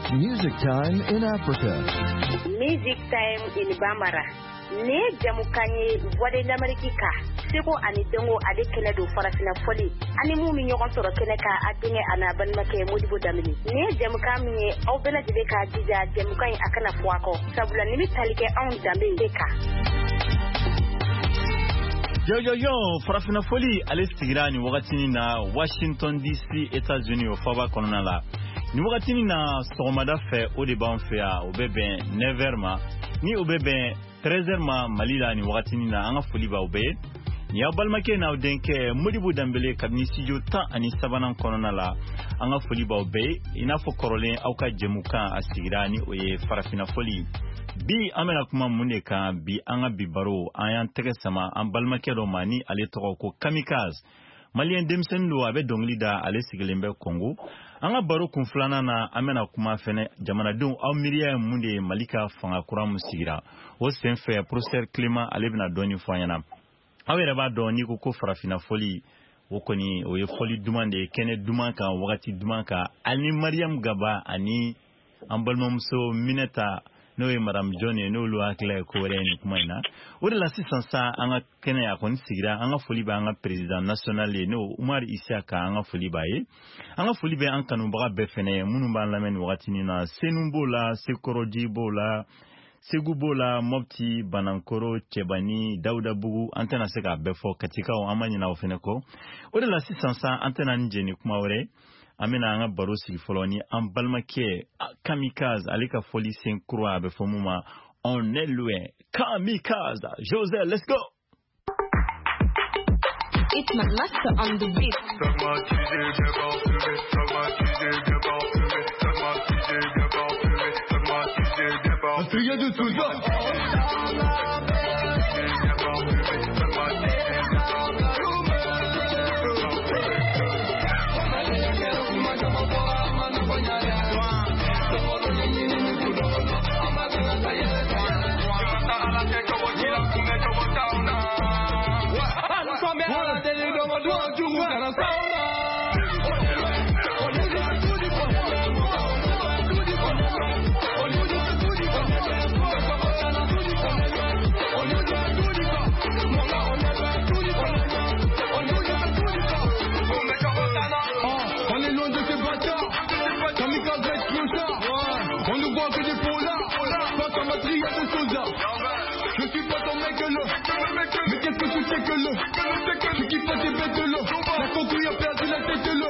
It's Music Time in Africa. Music Time in Bambara. Nin ye jamukan ye Voix de l'Amérique kan seko ani dɔnko ale kɛnɛ don farafinna fɔli ani mun bɛ ɲɔgɔn sɔrɔ kɛnɛ kan a denkɛ a n'a balimakɛ Modibo Danbele. Nin ye jamukan min ye aw bɛɛ lajɛlen k'a jija jamukan in a kana fɔ a kɔ sabula nin bɛ tali kɛ anw danbe de kan. Yo yo yo, farafinna fɔli ale sigira nin wagatinin na Washington DC, États-Unis, o faaba kɔnɔna la. Nin wagatinin na sɔgɔmada fɛ, o de b'an fɛ yan, o bɛ bɛn 9h ma, ni o bɛ bɛn 13h ma Mali la nin wagatinin na. An ka foli b'aw bɛɛ ye. Nin y'aw balimakɛ n'aw denkɛ Modibo Danbele kabini studio 13nan kɔnɔna la. An ka foli b'aw bɛɛ ye. I n'a fɔ kɔrɔlen, aw ka jɛmukan a sigira, ni o ye farafinna fɔli. Bi an bɛna kuma mun de kan bi? An ka bi baro, an y'an tɛgɛ sama an balimakɛ dɔ ma, ni ale tɔgɔ ko Kamikaze. Maliyɛn denmisɛnnin don, a bɛ dɔnkili da, ale sigilen bɛ Kɔngo. An ka baro kun filanan na, an bɛna kuma fɛnɛ jamanadenw aw miiriya ye mun de ye Mali ka fanga kura mun sigira o senfɛ. Professeur Clément, ale bɛna dɔɔni fɔ an ɲɛna. Aw yɛrɛ b'a dɔn, n'i ko ko farafinna fɔli, o kɔni o ye fɔli duman de ye, kɛnɛ duman kan, wagati duman kan, ani Mariam Gaba ani an balimamuso Minɛta, n'o ye Madame John ye, n'olu hakilila ye ko wɛrɛ ye nin kuma in na. O de la sisan sa, an ka kɛnɛ a kɔni sigira. An ka foli bɛ an ka président national ye, n'o Umar Isiaka, an ka foli b'a ye. An ka foli bɛ an kanubaga bɛɛ fɛnɛ ye minnu b'an lamɛn nin wagatinin na. Senu b'o la, Sekɔrɔji b'o la, Segu b'o la, Mɔpti, Banankoro, Cɛbani, Dawudabugu, an tɛna se k'a bɛɛ fɔ. Katikaw, an ma ɲinɛ o fɛnɛ kɔ. O de la sisan sa, an tɛna ni jɛ ni kuma wɛrɛ, an bɛna an ka baro sigi fɔlɔ ni an balimakɛ Kamikaze, ale ka fɔli sen kura, a bɛ fɔ mun ma On est loin. Kamikaze José, let's go. It's my master on the beat. Pragmatisé, bien parfumé, pragmatisé, bien parfumé, pragmatisé, bien parfumé, pragmatisé, bien parfumé. de Souza. Bien parfumé, pragmatisé, bien parfumé. On est loin de ces bâtards. Kamikaze être clochard. On nous voit que des polars. Face à ma triade de sosa. Je suis pas ton mec le. Mais qu'est-ce que tu sais que le? Tu kiffes pas tes bêtes le. La concouille a perdu la tête le.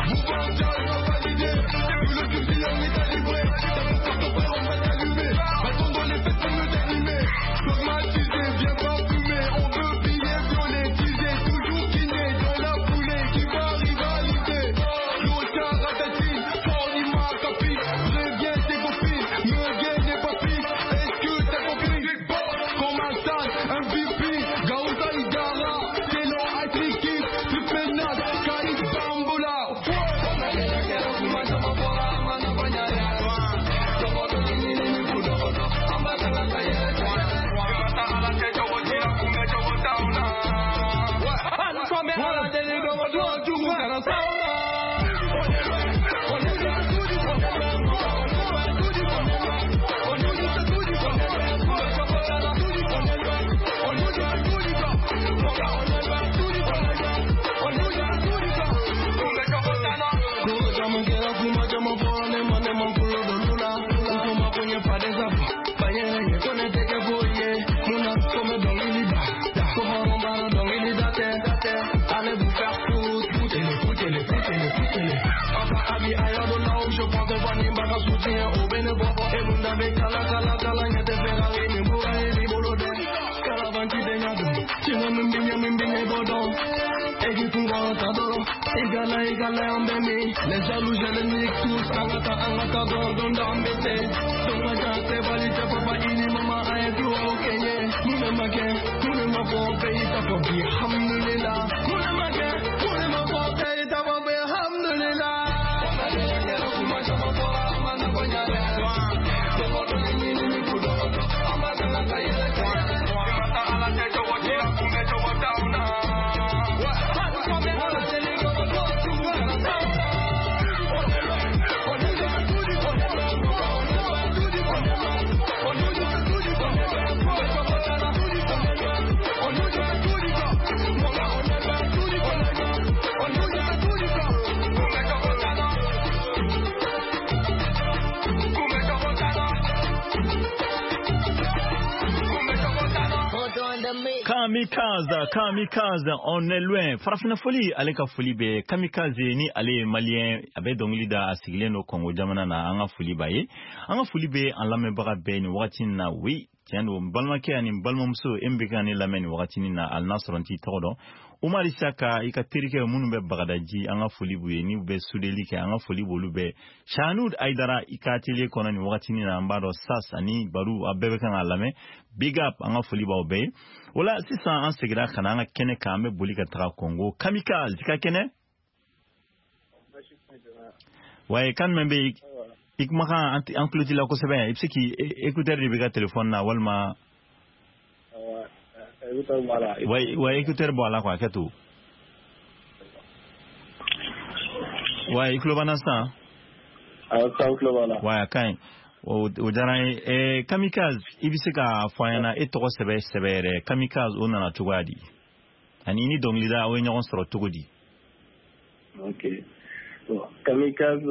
Mouvement on va valider. Tout le fusil on est calibré. T'as mon carte frère, on va t'allumer. Bâton dans les fesses pour me d'animer. Dogmatisé, bien parfumé. On veut piller, violer, teaser. Toujours kiné dans la foulée. Qui va rivaliser? Clochard ratatine, Fornima capi. Préviens tes copines, me gagne des papis. Est-ce que t'as compris? Comme un sale, un VP, Gaouta Idara, Telo Atriki, Tripénal, Kaïd Bambola. Les jaloux, je les nique tous. Angata, angata, don, don, d'embêté. Donga, jante, valide, papa, ini, mama, aïe, tout, ok, yeah. Moune, ma guerre, moune, ma bon pays, t'as pas bien, alhamdulillah. Moune, ma guerre, moune, ma bon pays, t'as pas bien, alhamdulillah. Kamikaze, Kamikaze, on est loin. Farafina foli, ale ka foli bɛ Kamikaze ni ale ye malien, a bɛ dɔnkili da, a sigilen don Congo jamana na. An ka foli b'a ye. An ka foli bɛ an lamɛnbaga bɛɛ nin wagati in na. Oui, tiɲɛ don, n balimakɛ ani n balimamuso, e min bɛ ka ne lamɛn nin wagati in na, hali n'a sɔrɔ n t'i tɔgɔ dɔn. Umar Isaka, i ka terikɛ minnu bɛ Bagadaji, an ka foli b'u ye, n'u bɛ sudeli kɛ, an ka foli b'olu bɛɛ. Shanud Aidara, i ka atelier kɔnɔ nin wagati in na, an b'a dɔn Sas ani Baru, a bɛɛ bɛ kan k'a lamɛn. Big up, an ka foli b'aw bɛɛ ye. O la sisan an seginna ka na an ka kɛnɛ kan, an bɛ boli ka taga Congo. Kamikaze, i ka kɛnɛ? Waye, kan jumɛn bɛ yen? I kumakan an tulo t'i la kosɛbɛ. I bɛ se k'i écouteur de b'i ka téléphone na walima. Ouais, écouteur bɔ a la quoi, kɛ to. Ouais, i tulo b'an na sisan? Awɔ, sisan n tulo b'a la. Ouais, a ka ɲi. O diyara n ye. Kamikaze, i bɛ se k'a fɔ an ɲɛna e tɔgɔ sɛbɛ sɛbɛ yɛrɛ, Kamikaze o nana cogoya di? Ani ni dɔnkilida aw ye ɲɔgɔn sɔrɔ cogo di? Ok. Bon, Kamikaze,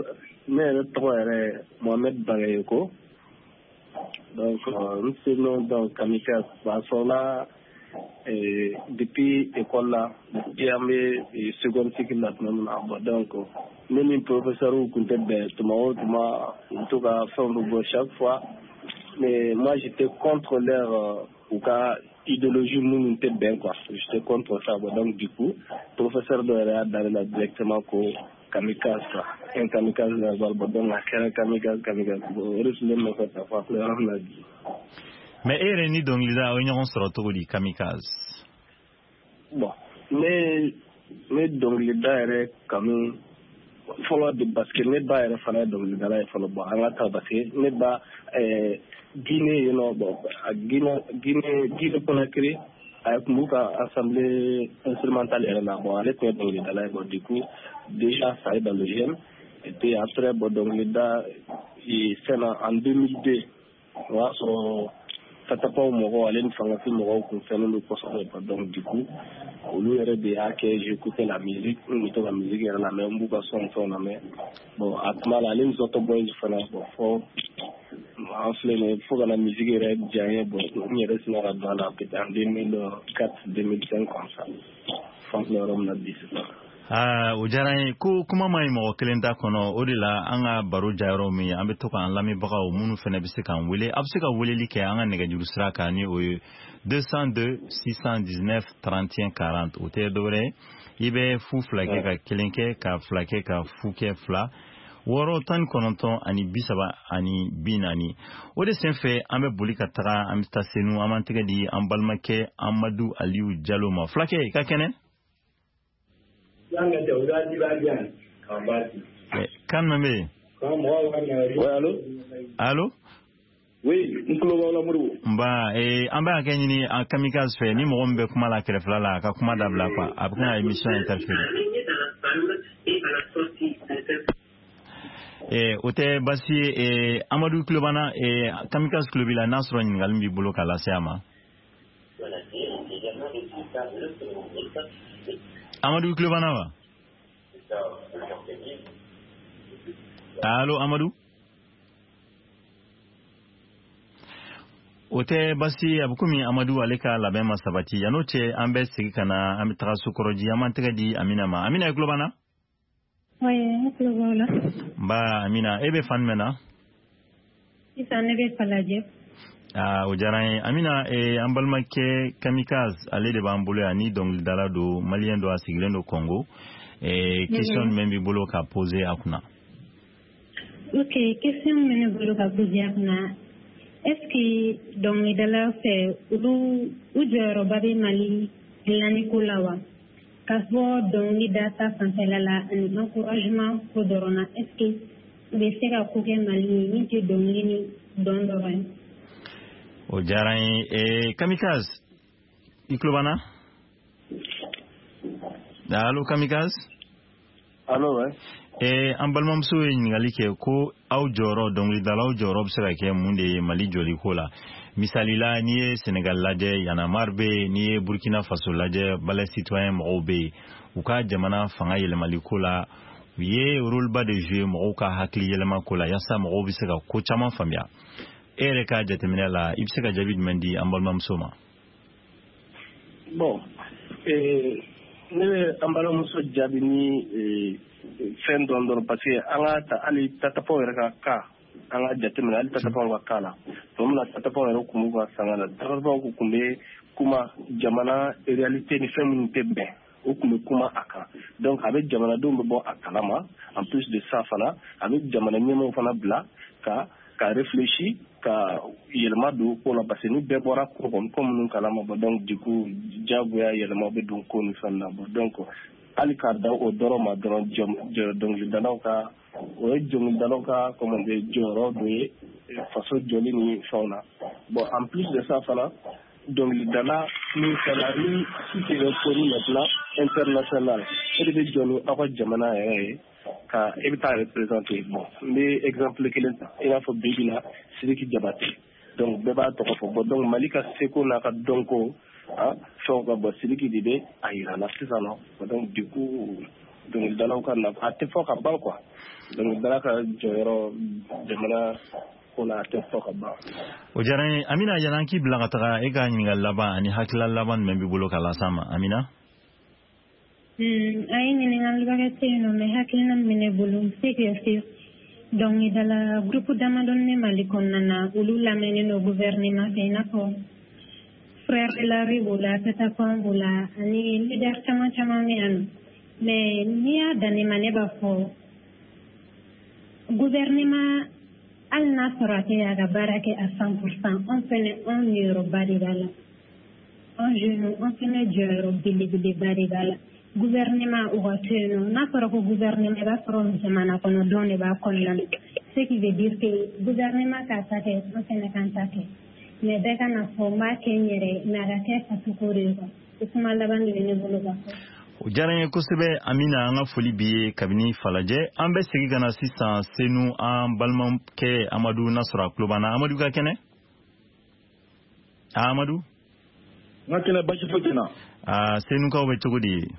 ne yɛrɛ tɔgɔ yɛrɛ Mohamed Bagayoko. Donc, n surnom donc Kamikaze. A sɔrɔla depuis école la, depuis an bɛ seconde cycle la tuma min na. Bon, donc ne ni professeur tun tɛ bɛn tuma o tuma, u bɛ to ka fɛnw bɛ bɔ chaque fois. Mais moi j'étais contre leur u ka idéologie minnu tɛ bɛn quoi. J'étais contre ça. Bon, donc du coup professeur dɔ yɛrɛ y'a da ne la directement ko kamikaze quoi. Un kamikaze naval. Bon, donc a kɛra kamikaze kamikaze. Bon, o de tun bɛ ne nɔfɛ ka fɔ a filɛ yɔrɔ min na bi. Mais e yɛrɛ ni dɔnkilida aw ye ɲɔgɔn sɔrɔ cogo di, Kamikaze? Bon, ne dɔnkilida yɛrɛ kanu fɔlɔ de, parce que ne ba yɛrɛ fana ye dɔnkilidala ye fɔlɔ. Bon, an ka taa, parce que ne ba Guinée yen nɔ, bon, a Guinée Conakry, a tun b'u ka assemblée instrumentale yɛrɛ la. Bon, ale tun ye dɔnkilidala ye. Bon, du coup déjà ça est dans le gène. Et puis après, bon, dɔnkilida fɛn na en 2002, o y'a sɔrɔ Tatapaw mɔgɔw ale ni fangafin mɔgɔw kun fɛnnen don kosɛbɛ. Donc du coup olu yɛrɛ de y'a kɛ j'écoutais la musique, n tun bɛ to ka musique yɛrɛ lamɛn, n b'u ka son fɛnw lamɛn. Bon, a tuma la ale ni Zɔtɔ Boys fana, bon, fɔ an filɛ nin ye fo ka na musique yɛrɛ diya n ye. Bon, n yɛrɛ sina ka don a la peut-être en 2004 2005 comme ça, f'an filɛ yɔrɔ min na bi sisan. Aa, o diyara n ye. Ko kuma ma ɲi mɔgɔ kelen ta kɔnɔ, o de la an ka baro jayɔrɔ min ye, an bɛ to k'an lamɛnbagaw minnu fana bɛ se k'an wele, a bɛ se ka weleli kɛ an ka nɛgɛjuru sira kan ni o ye 202 619 31 40. O tɛ dɔwɛrɛ ye, i bɛ 0 2 kɛ ka 1 kɛ ka 2 kɛ ka 0 kɛ 2 6 19 ani 30 ani 40. O de senfɛ an bɛ boli ka taga, an bɛ taa Senu, an b'an tɛgɛ di an balimakɛ Amadu Aliyu Jalo ma. Fulakɛ, i ka kɛnɛ? Kan jumɛn bɛ yen? Allo? Oui, n tulo b'aw la Modibo. Nba, an bɛ hakɛ ɲini an Kamikaze fɛ, ni mɔgɔ min bɛ kuma la kɛrɛfɛla la, a ka kuma dabila quoi, a bɛ ka émission interférer. O tɛ baasi ye. Amadu tulo b'an na, Kamikaze tulo b'i la, n'a sɔrɔ ɲininkali b'i bolo k'a lase a ma. Amadu tulo b'an na wa? Allo Amadu? O tɛ baasi ye, a bɛ komi Amadu ale ka labɛn ma sabati. Yan'o cɛ an bɛ segin ka na, an bɛ taga Sokɔrɔji, an b'an tɛgɛ di Amina ma. Amina, i tulo b'an na? Oui, ne tulo b'aw la. Nba Amina, e bɛ fan jumɛn na? Sisan ne bɛ Falajɛ. Aa, o diyara n ye. Amina, an balimakɛ Kamikaze ale de b'an bolo yan, ni dɔnkilidala don, malien don, a sigilen don Congo. Question jumɛn b'i bolo ka poser a kunna? Ok, question min bɛ ne bolo ka poser a kunna, est-ce que dɔnkilidala fɛ olu u jɔyɔrɔba bɛ Mali dilanni ko la wa? Ka bɔ dɔnkilida ta fanfɛla la ani encouragement ko dɔrɔn na, est-ce que u bɛ se ka ko kɛ Mali ye min tɛ dɔnkili ni dɔn dɔrɔn ye? O diyara n ye. Kamikaze, i tulo b'an na? Allo Kamikaze? Allo, ouais. An balimamuso ye ɲininkali kɛ ko aw jɔyɔrɔ, dɔnkilidalaw jɔyɔrɔ bɛ se ka kɛ mun de ye Mali jɔliko la? Misali la, n'i ye Senegal lajɛ, Y'en a marre bɛ yen, n'i ye Burkina Faso lajɛ, Balai citoyen mɔgɔw bɛ yen, u ka jamana fanga yɛlɛmali ko la, u ye rôle ba de jouer mɔgɔw ka hakili yɛlɛma ko la, yaasa mɔgɔw bɛ se ka ko caman faamuya. E yɛrɛ ka jateminɛ la, i bɛ se ka jaabi jumɛn di an balimamuso ma? Bon, ne bɛ an balimamuso jaabi ni fɛn dɔn dɔrɔn, parce que an ka ta hali tatapaw yɛrɛ ka cas, an ka jateminɛ hali tatapaw ka cas la. Tuma min na tatapaw yɛrɛ tun b'u ka sanga la, tatapaw tun bɛ kuma jamana réalité ni fɛn minnu tɛ bɛn, o tun bɛ kuma a kan. Donc a bɛ jamanadenw bɛ bɔ a kalama. En plus de ça fana, a bɛ jamana ɲɛmɔgɔw fana bila ka réfléchir, ka yɛlɛma don ko la, parce que ni bɛɛ bɔra ko kɔnɔ, ko minnu kalama, bon, donc du coup diyagoya yɛlɛma bɛ don ko ni fɛn na. Bon, donc hali k'a da o dɔrɔn ma dɔrɔn, dɔnkilidalaw ka, o ye dɔnkilidalaw ka, comment dire, jɔyɔrɔ dɔ ye faso jɔli ni fɛnw na. Bon, en plus de ça fana, dɔnkilidala min fana ni si tɛ reconnu maintenant international, e de bɛ jɔ ni aw ka jamana yɛrɛ ye ka e bɛ taa représenter. Bon, n bɛ exemple kelen ta, i n'a fɔ bi bi na Sidiki Jabate, donc bɛɛ b'a tɔgɔ fɔ. Bon, donc Mali ka seko n'a ka dɔnko fɛnw ka bɔ, Sidiki de bɛ a yira la sisan nɔ. Donc du coup dɔnkilidalaw ka nafa a tɛ fɔ ka ban quoi. Dɔnkilidala ka jɔyɔrɔ jamana ko la, a tɛ fɔ ka ban. O diyara n ye. Amina, yan'an k'i bila ka taga, e ka ɲininkali laban ani hakilila laban jumɛn b'i bolo ka las'an ma, Amina? A ye ɲininkali wɛrɛ tɛ yen nɔ, mais hakilina min bɛ ne bolo, n bɛ se k'i fɔ dɔnkilidala groupe damadɔni bɛ Mali kɔnɔna na, olu lamɛnnen don gouvernement fɛ, i n'a fɔ Frère de la rue b'o la, Tatapan b'o la, ani leader caman caman bɛ yan nɔ. Mais n'i y'a dan ne ma, ne b'a fɔ gouvernement, hali n'a sɔrɔ a tɛ a ka baara kɛ à 100%, anw fɛnɛ, anw niyɔrɔba de b'a la. Anw jeunes, an fɛnɛ jɔyɔrɔ belebeleba de b'a la. Gouvernement u ka to yen nɔ, n'a fɔra ko gouvernement, i b'a sɔrɔ jamana kɔnɔdenw de b'a kɔnɔna na, ce qui veut dire que gouvernement k'a ta kɛ, an fɛnɛ k'an ta kɛ, mais bɛɛ ka na fɔ n b'a kɛ n yɛrɛ ye, mais a ka kɛ fasoko de ye quoi. O kuma laban de bɛ ne bolo ka fɔ. O diyara n ye kosɛbɛ, Amina. An ka foli b'i ye kabini Falajɛ. An bɛ segin ka na sisan Senu, an balimakɛ Amadu, n'a sɔrɔ a tulo b'an na. Amadu ka kɛnɛ? Amadu? N ka kɛnɛ, basi foyi tɛ n na. Aa, Senukaw bɛ cogo di?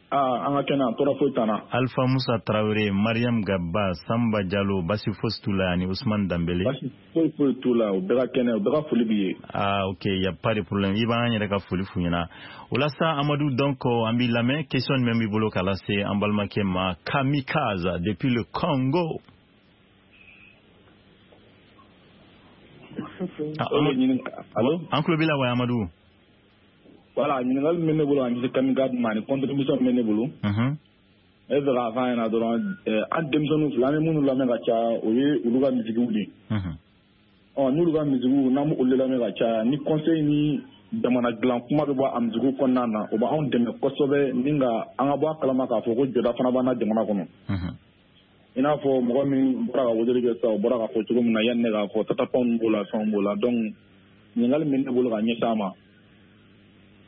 Aa, an ka kɛnɛ, tɔɔrɔ foyi t'an na. Alpha Musa Tarawele, Mariam Gaba, Samba Jalo, basi fosi t'u la, ani Ousmane Dambele. Basi foyi foyi t'u la, u bɛɛ ka kɛnɛ, u bɛɛ ka foli b'i ye. Ah ok, y a pas de problème, i b'an yɛrɛ ka foli f'u ɲɛna. O la sa, Amadu, donc an b'i lamɛn. Question jumɛn b'i bolo k'a lase an balimakɛ ma, Kamikaze depuis le Congo? Allo? An tulo b'i la wa, Amadu? Voilà, ɲininkali min bɛ ne bolo ka ɲɛsin Kamikaze ma ani contribution min bɛ ne bolo. Ne bɛ fɛ k'a f'a ɲɛna dɔrɔn, an denmisɛnninw filɛ, an bɛ minnu lamɛn ka caya, o ye olu ka misikiw de ye. Ɔ, n'olu ka misikiw, n'an b'olu lamɛn ka caya, ni conseil ni jamana dilan kuma bɛ bɔ a misikiw kɔnɔna na, o b'anw dɛmɛ kosɛbɛ ni ka an ka bɔ a kalama k'a fɔ ko jɔda fana b'an na jamana kɔnɔ. I n'a fɔ mɔgɔ min bɔra ka weleli kɛ sisan, o bɔra k'a fɔ cogo min na, yanni ne k'a fɔ, tatapanw b'o la, fɛnw b'o la. Donc ɲininkali min bɛ ne bolo ka ɲɛsin a ma,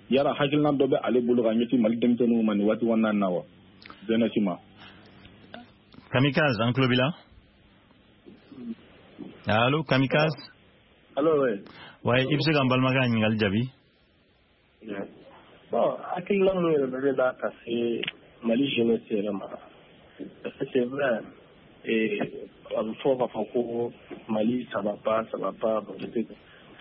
yala hakilina dɔ bɛ ale bolo ka ɲɛsin Mali denmisɛnninw ma nin waati kɔnɔna na wa, jeunesse ma? Kamikaze, an tulo b'i la. Allo, Kamikaze? Allo, oui. Ouais, i bɛ se ka n balimakɛ ka ɲininkali jaabi? Bon, hakilina min yɛrɛ bɛ ne la ka se Mali jeunesse yɛrɛ ma, parce que c'est vrai, a bɛ fɔ k'a fɔ ko Mali ça va pas, ça va pas,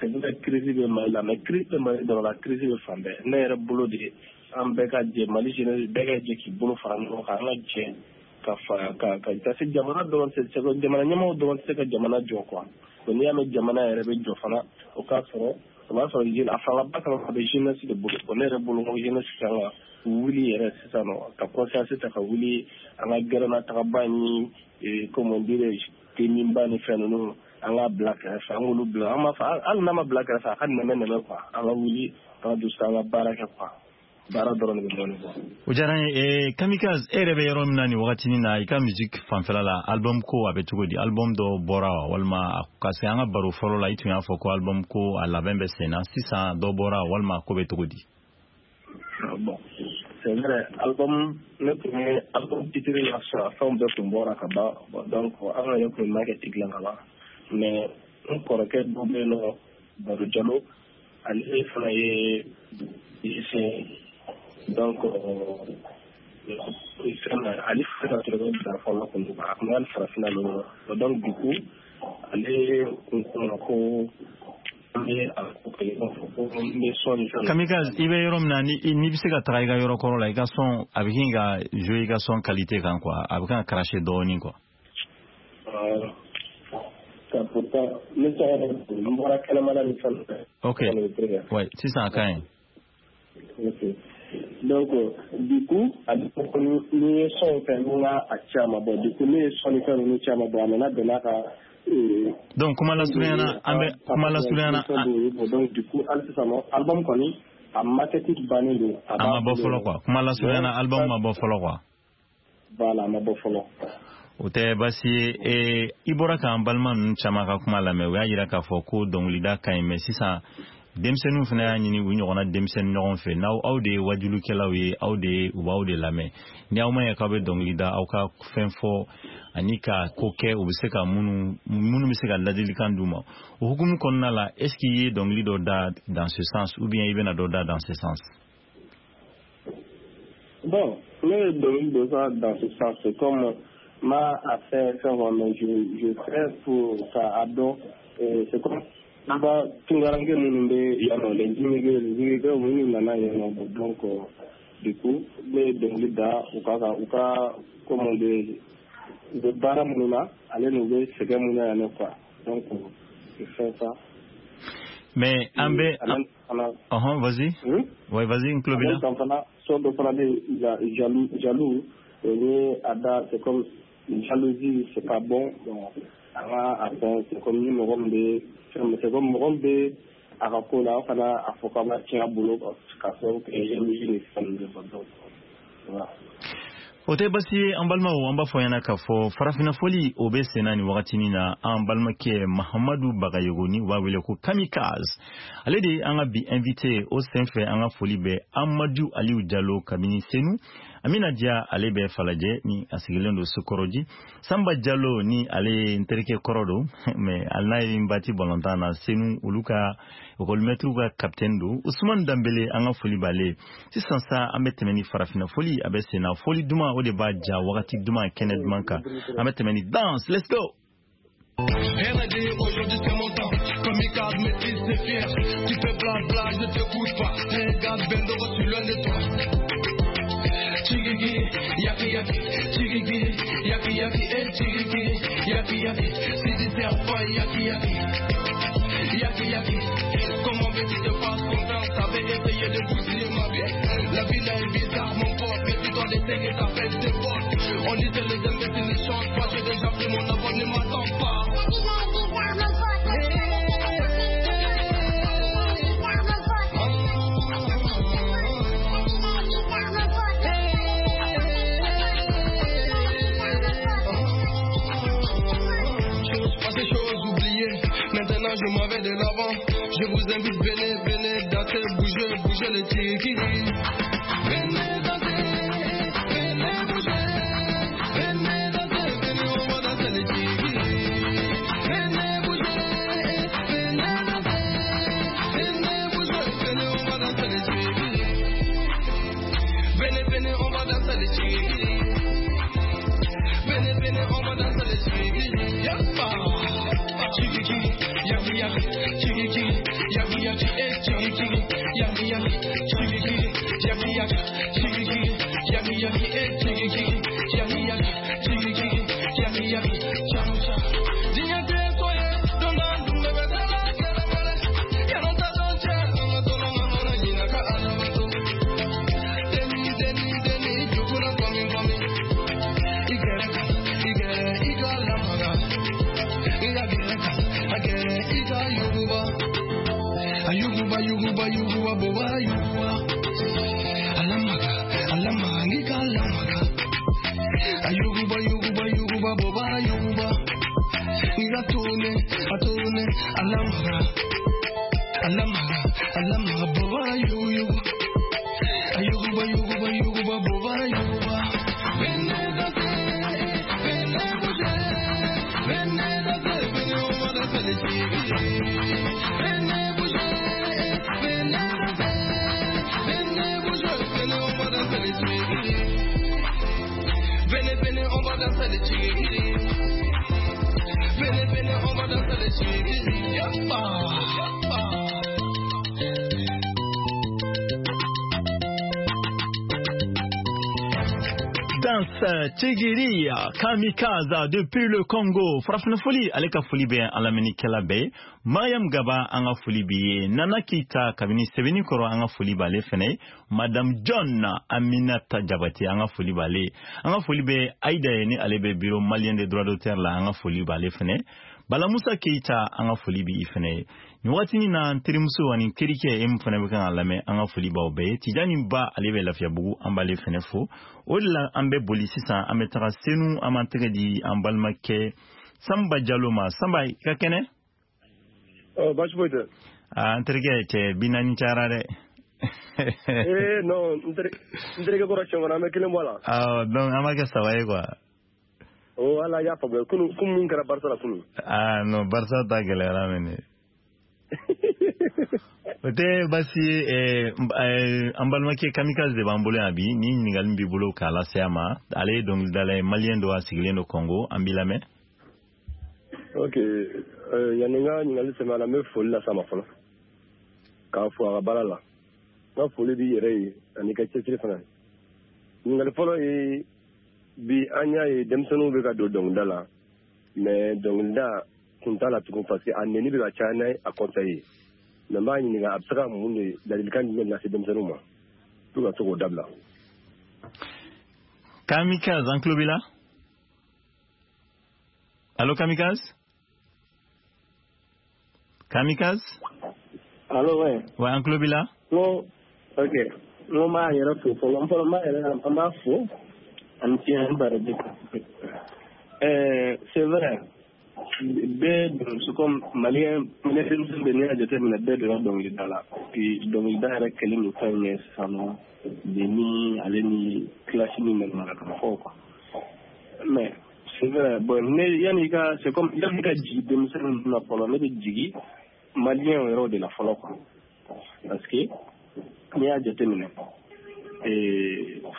c'est vrai, crise bɛ Mali la, mais crise bɛ Mali dɔrɔn la, crise bɛ fan bɛɛ. Ne yɛrɛ bolo de, an bɛɛ ka jɛ, Mali jeunesse bɛɛ ka jɛ k'i bolo fara ɲɔgɔn kan, an ka jɛ ka fara ka parce que jamana dɔrɔn tɛ se, jamana ɲɛmɔgɔw dɔrɔn tɛ se ka jamana jɔ quoi. Donc n'i y'a mɛn jamana yɛrɛ bɛ jɔ fana, o k'a sɔrɔ, o b'a sɔrɔ a fangaba kan a bɛ jeunesse de bolo. Bon, ne yɛrɛ bolo, ko jeunesse kan ka wuli yɛrɛ sisan nɔ, ka conscience ta ka wuli, an ka gɛrɛnna tagaba ni, comment dirais-je, teminba ni fɛn ninnu, an k'a bila kɛrɛfɛ, an k'olu bila, an b'a fɔ hali n'a ma bila kɛrɛfɛ, a ka nɛmɛ nɛmɛ quoi, an ka wuli, an ka don so, an ka baara kɛ quoi. Baara dɔrɔn de bɛ dɔɔnin bɔ. O diyara n ye. Kamikaze, e yɛrɛ bɛ yɔrɔ min na nin wagatinin na, i ka musique fanfɛla la, album ko a bɛ cogo di? Album dɔ bɔra wa, walima ka se an ka baro fɔlɔ la, i tun y'a fɔ ko album ko a labɛn bɛ sen na, sisan dɔ bɔra walima ko bɛ cogo di? Bon, c'est vrai, album, ne tun ye album titre la sɔrɔ, a fɛnw bɛɛ tun bɔra ka ban. Bon, donc an yɛrɛ tun ye market dilan ka ban, mais n kɔrɔkɛ dɔ bɛ yen nɔ, Baro Jalo, ale fana ye musicien. Donc fɛn na, ale fana ka tɔrɔ bila fɔlɔ kun don, a kun bɛ hali farafinna ninnu. Donc du coup ale kun ko ma ko An bɛ a ko kɛ i b'a fɔ ko n bɛ son ni fɛn. Kamikaze, i bɛ yɔrɔ min na, n'i bɛ se ka taga i ka yɔrɔ kɔrɔ la, i ka son a bɛ kin ka jouer i ka son qualité kan quoi, a bɛ kan ka cracher dɔɔnin quoi. Pourtant ne tɔgɔ n bɔra kɛnɛmana ni fɛn. Ok, ouais, sisan a ka ɲi. Ok, donc du coup a ko ni ye son fɛn n ka a caman bɔ, du coup ne ye son ni fɛn ninnu caman bɔ, a nana bɛn n'a ka. Donc kuma lasurunya na, an bɛ kuma lasurunya na. Donc du coup hali sisan nɔ album kɔni a maquette bannen don. A ma bɔ fɔlɔ quoi, kuma lasurunya na, album ma bɔ fɔlɔ quoi. Voilà, a ma bɔ fɔlɔ. O tɛ baasi ye. I bɔra k'an balima ninnu caman ka kuma lamɛn, u y'a jira k'a fɔ ko dɔnkilida ka ɲi, mais sisan denmisɛnninw fana y'a ɲini u ɲɔgɔnna denmisɛnnin ɲɔgɔn fɛ, n'aw aw de ye wajulikɛlaw ye, aw de ye u b'aw de lamɛn, ni aw ma ɲɛ k'aw bɛ dɔnkili da, aw ka fɛn fɔ ani ka ko kɛ u bɛ se ka minnu bɛ se ka ladilikan d'u ma. O hukumu kɔnɔna la, est ce que i ye dɔnkili dɔ da dans ce sens ou bien i bɛna dɔ da dans ce sens? Bon, ne ye dɔnkili dɔ da dans ce sens, c'est comme ma a fait fɛn, mais je fais pour ka a dɔn, c'est comme an ka tunkaranke minnu bɛ yan nɔ, les immigrés minnu nana yan nɔ, donc du coup ne ye dɔnkili da u ka comment dire, u bɛ baara minnu na ale n'u bɛ sɛgɛn minnu na yan nɔ quoi, donc je fais ça. Mais an bɛ ɔhɔn, vas-y. Ouais, vas-y, n tulo b'i la. Fana son dɔ fana bɛ yen, jaloux, o ye a da, c'est comme jalousie, c'est pas bon. Bon, an ka a fɛn, c'est comme ni mɔgɔ min bɛ fɛn, c'est comme mɔgɔ min bɛ a ka ko la, aw kana a fɔ k'aw b'a tiɲɛ a bolo ka sababu kɛ jalousie ni fɛn ninnu ye quoi, donc voilà. O tɛ basi ye, an balimaw, an b'a fɔ ɲɛna k'a fɔ farafinna fɔli o bɛ senna nin wagatinin na. An balimakɛ Mahamadu Bagayogo, ni u b'a wele ko Kamikaze, ale de ye an ka bi invité. O senfɛ an ka foli bɛ Amadu Aliyu Jalo kabini Senu, Amina Diya ale bɛ Falajɛ ni a sigilen don Sokɔrɔji, Sanba Jalo ni ale ye n terikɛ kɔrɔ don, mais hali n'a ye n bati balontan na Senu, olu ka ekɔlimɛtiriw ka capitaine don, Usumani Danbele, an ka foli b'ale. Sisan sa an bɛ tɛmɛ ni farafinna fɔli a bɛ senna, fɔli duman o de b'a ja wagati duman kɛnɛ duman kan, an bɛ tɛmɛ ni danse, let's go. R&D, aujourd'hui c'est mon temps. Kamikaze, maîtrise, c'est fier. Tu fais blabla, je ne t'écoute pas. Regarde, Bendoro, je suis loin de toi. Chiriki, yaki yaki, chiriki, yaki yaki, eh chiriki, yaki yaki, si tu serpent, yaki yaki, yaki yaki. Comment veux-tu te faire confiance? T'avais essayé de bousiller ma vie. La vie là est bizarre, mon pote, mais tu dois laisser que ça fait des potes. On dit que les imbéciles ne changent pas, j'ai déjà pris mon avance, ne m'attends pas. La vie là est bizarre, mon pote. Maintenant je m'en vais de l'avant. Je vous invite, venez, venez danser, bougez, bougez les tiki. Venez danser, venez bouger, venez danser, venez, on va danser les tiki. Venez bouger, venez danser, venez bouger, venez, on va danser les tiki. Venez, venez, on va danser les tiki. Venez, venez, on va danser les tiki. Yappa. Chiriki, yaki yaki, chiriki, yaki yaki, eh chiriki, yaki yaki, chiriki, yaki yaki, chiriki, yaki yaki, eh chiriki, yaki yaki, chiriki, yaki yaki, cham cham. Dignité soyez, donna dumbe betala kelemele, yananta donche, amatolo mamana yinaka alabato. Deni deni deni, jukuna komi komi, igere igere igala maga. Ayuguba, yuguba, yuguba, boba, yuguba. Alamaga, alamaga, ngika alamaga. Ayuguba, yuguba, yuguba, boba, yuguba. Ngira tune, atune, alamaga. Alamaga, alamaga, boba, yuguba. Ayuguba, yuguba, yuguba, boba, yuguba. Venez danser, venez bouger. Venez danser, venez, on va danser les tigres. Venez bouger, venez danser. Venez bouger, venez, on va danser les tigres. Venez, venez, on va danser les tigres. Venez, venez, on va danser les tigres. Yappa, yappa. Prince Tigiri Kamikaze depuis le Congo. Farafina foli, ale ka foli bɛ an lamɛnnikɛla bɛɛ ye. Mariam Gaba, an ka foli b'i ye. Nana Keita kabini Sɛbɛnnikɔrɔ, an ka foli b'ale fɛnɛ ye. Madame John Aminata Jabate, an ka foli b'ale ye. An ka foli bɛ Aïda ye, ni ale bɛ bureau malien des droits d'auteur la, an ka foli b'ale fɛnɛ ye. Bala Musa Keita, an ka foli b'i fɛnɛ ye. Nin wagatinin na, n terimuso ani n terikɛ, e min fana bɛ kan ka lamɛn, an ka foli b'aw bɛɛ ye. Tijani Ba, ale bɛ Lafiyabugu, an b'ale fɛnɛ fo. O de la an bɛ boli sisan, an bɛ taga Senu, an b'an tɛgɛ di an balimakɛ Sanba Jalo ma. Sanba, i ka kɛnɛ? Baasi foyi tɛ. Aa, n terikɛ, cɛ 40 cayara dɛ. Ee non, n terikɛ kɔrɔ, siɲɛ wɛrɛ an bɛ kelen bɔ a la. Awɔ, donc an b'a kɛ saba ye quoi. Oh, ala y'a faamuya, kunun kun min kɛra Barça la kunun. Ah non, Barça ta gɛlɛyara mɛnɛ. O tɛ baasi ye. An balimakɛ Kamikaze de b'an bolo yan bi. Ni ɲininkali b'i bolo k'a lase a ma, ale ye dɔnkilidala ye, malien don, a sigilen don Congo. An b'i lamɛn. Ok, yanni n ka ɲininkali sɛmɛ a la, n bɛ foli las'a ma fɔlɔ, k'a fo a ka baara la. N ka foli b'i yɛrɛ ye ani ka cɛsiri fana. Ɲininkali fɔlɔ ye, bi an y'a ye denmisɛnninw bɛ ka don dɔnkilida la, mais dɔnkilida kun t'a la tugun, parce que a nɛni bɛ ka caya n'a a conseil ye. Mais n b'a ɲininka, a bɛ se ka mun de ladilikan jumɛn lase denmisɛnninw ma pour ka se k'o dabila? Kamikaze, an tulo b'i la. Allo, Kamikaze, Kamikaze? Allo, ouais. Ouais, an tulo b'i la. N ko ok, n ko n b'a yɛrɛ fo fɔlɔ, n fɔlɔ n b'a yɛrɛ, an b'a fo ani tiɲɛ baraji. C'est vrai, bɛɛ don, c'est comme malien denmisɛnnin bɛɛ, n'i y'a jateminɛ, bɛɛ donna dɔnkilida la. Puis dɔnkilida yɛrɛ kɛlen don fɛn ye sisan nɔ, ni ale ni clash ni manamanakan fɔ quoi. Mais c'est vrai, bon, ne yanni ka, c'est comme yanni ka jigin denmisɛnnin ninnu na fɔlɔ, ne bɛ jigin malien yɛrɛw de la fɔlɔ quoi, parce que n'i y'a jateminɛ,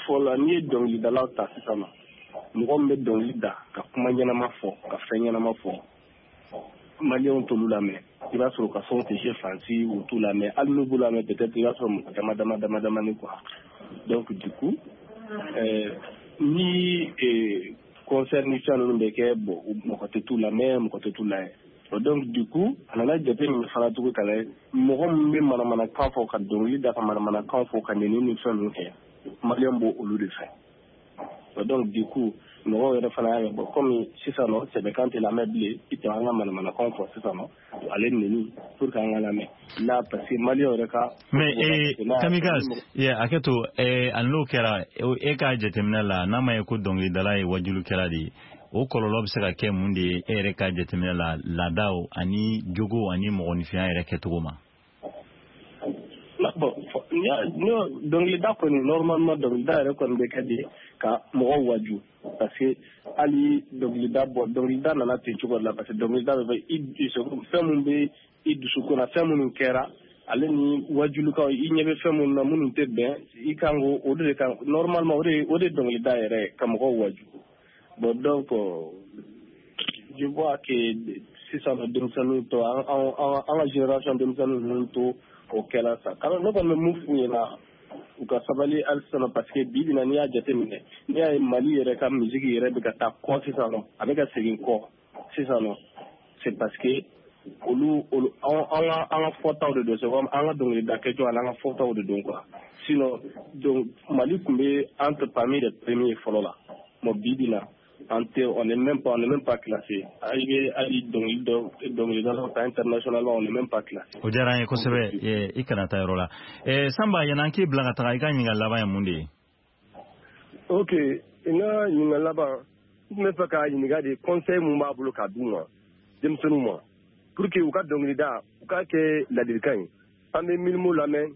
fɔlɔ n'i ye dɔnkilidalaw ta sisan nɔ, mɔgɔ min bɛ dɔnkili da ka kuma ɲɛnama fɔ, ka fɛn ɲɛnama fɔ, maliyɛnw t'olu lamɛn. I b'a sɔrɔ u ka fɛnw tɛ se fansi, u t'u lamɛn. Hali n'u b'u lamɛn, peut-être i b'a sɔrɔ mɔgɔ dama dama dama damani quoi. Donc du coup, ni concert ni fɛn ninnu bɛ kɛ, bon, mɔgɔ tɛ t'u lamɛn, mɔgɔ tɛ t'u lajɛ. Donc du coup, a nana jateminɛ fana tugun ka lajɛ, mɔgɔ min bɛ manamanakan fɔ, ka dɔnkili da ka manamanakan fɔ, ka nɛni ni fɛn ninnu kɛ, maliyɛn b'o olu de fɛ. Donc du coup, mɔgɔw yɛrɛ fana y'a ye, bon, komi sisan nɔ sɛbɛkan tɛ lamɛn bilen, i tɛ an ka manamanakan fɔ sisan nɔ, ale nɛni pour que an ka lamɛn là, parce que maliyɛn yɛrɛ ka. Mais Kamikaze, hakɛ to, hali n'o kɛra, e ka jateminɛ la, n'a ma ye ko dɔnkilidala ye wajulikɛla de ye, o kɔlɔlɔ bɛ se ka kɛ mun de ye e yɛrɛ ka jateminɛ la, laadaw ani jogo ani mɔgɔninfinya yɛrɛ kɛcogo ma? Bon, dɔnkilida kɔni, normalement dɔnkilida yɛrɛ kɔni bɛ kɛ de ka mɔgɔw waju, parce que hali dɔnkilida, bɔ dɔnkilida nana ten cogo de la, parce que dɔnkilida bɛ i fɛn min bɛ i dusukun na, fɛn minnu kɛra, ale ni wajulukaw, i ɲɛ bɛ fɛn minnu na minnu tɛ bɛn, i kan k'o o de kan, normalement o de dɔnkilida yɛrɛ ye ka mɔgɔw waju. Bon, donc je vois que sisan nɔ denmisɛnninw tɔ, an ka génération denmisɛnnin ninnu to o kɛla sa. Ne kɔni bɛ mun f'u ɲɛna, u ka sabali hali sisan, parce que bi bi in na, n'i y'a jateminɛ, n'i y'a ye Mali yɛrɛ ka musique yɛrɛ bɛ ka taa kɔ sisan nɔ, a bɛ ka segin kɔ sisan nɔ, c'est parce que olu an ka fɔtaw de don. C'est comme an ka dɔnkilida kɛcogo ani an ka fɔtaw de don quoi. Sinon donc Mali tun bɛ entre parmi les premiers fɔlɔ la. Bon, bi bi in na, an tɛ, on n'est même pas classé. I bɛ hali dɔnkili dɔ dɔnkilidalaw ta internationalement, on n'est même pas classé. O diyara an ye kosɛbɛ. I kana taa yɔrɔ la, Sanba. Yan'an k'e bila ka taga, i ka ɲininkali laban ye mun de ye? Ok, n ka ɲininkali laban, n tun bɛ fɛ k'a ɲininka de, conseil mun b'a bolo k'a d'u ma, denmisɛnninw ma, pour que u ka dɔnkilida u k'a kɛ ladilikan ye. An bɛ Milimo lamɛn,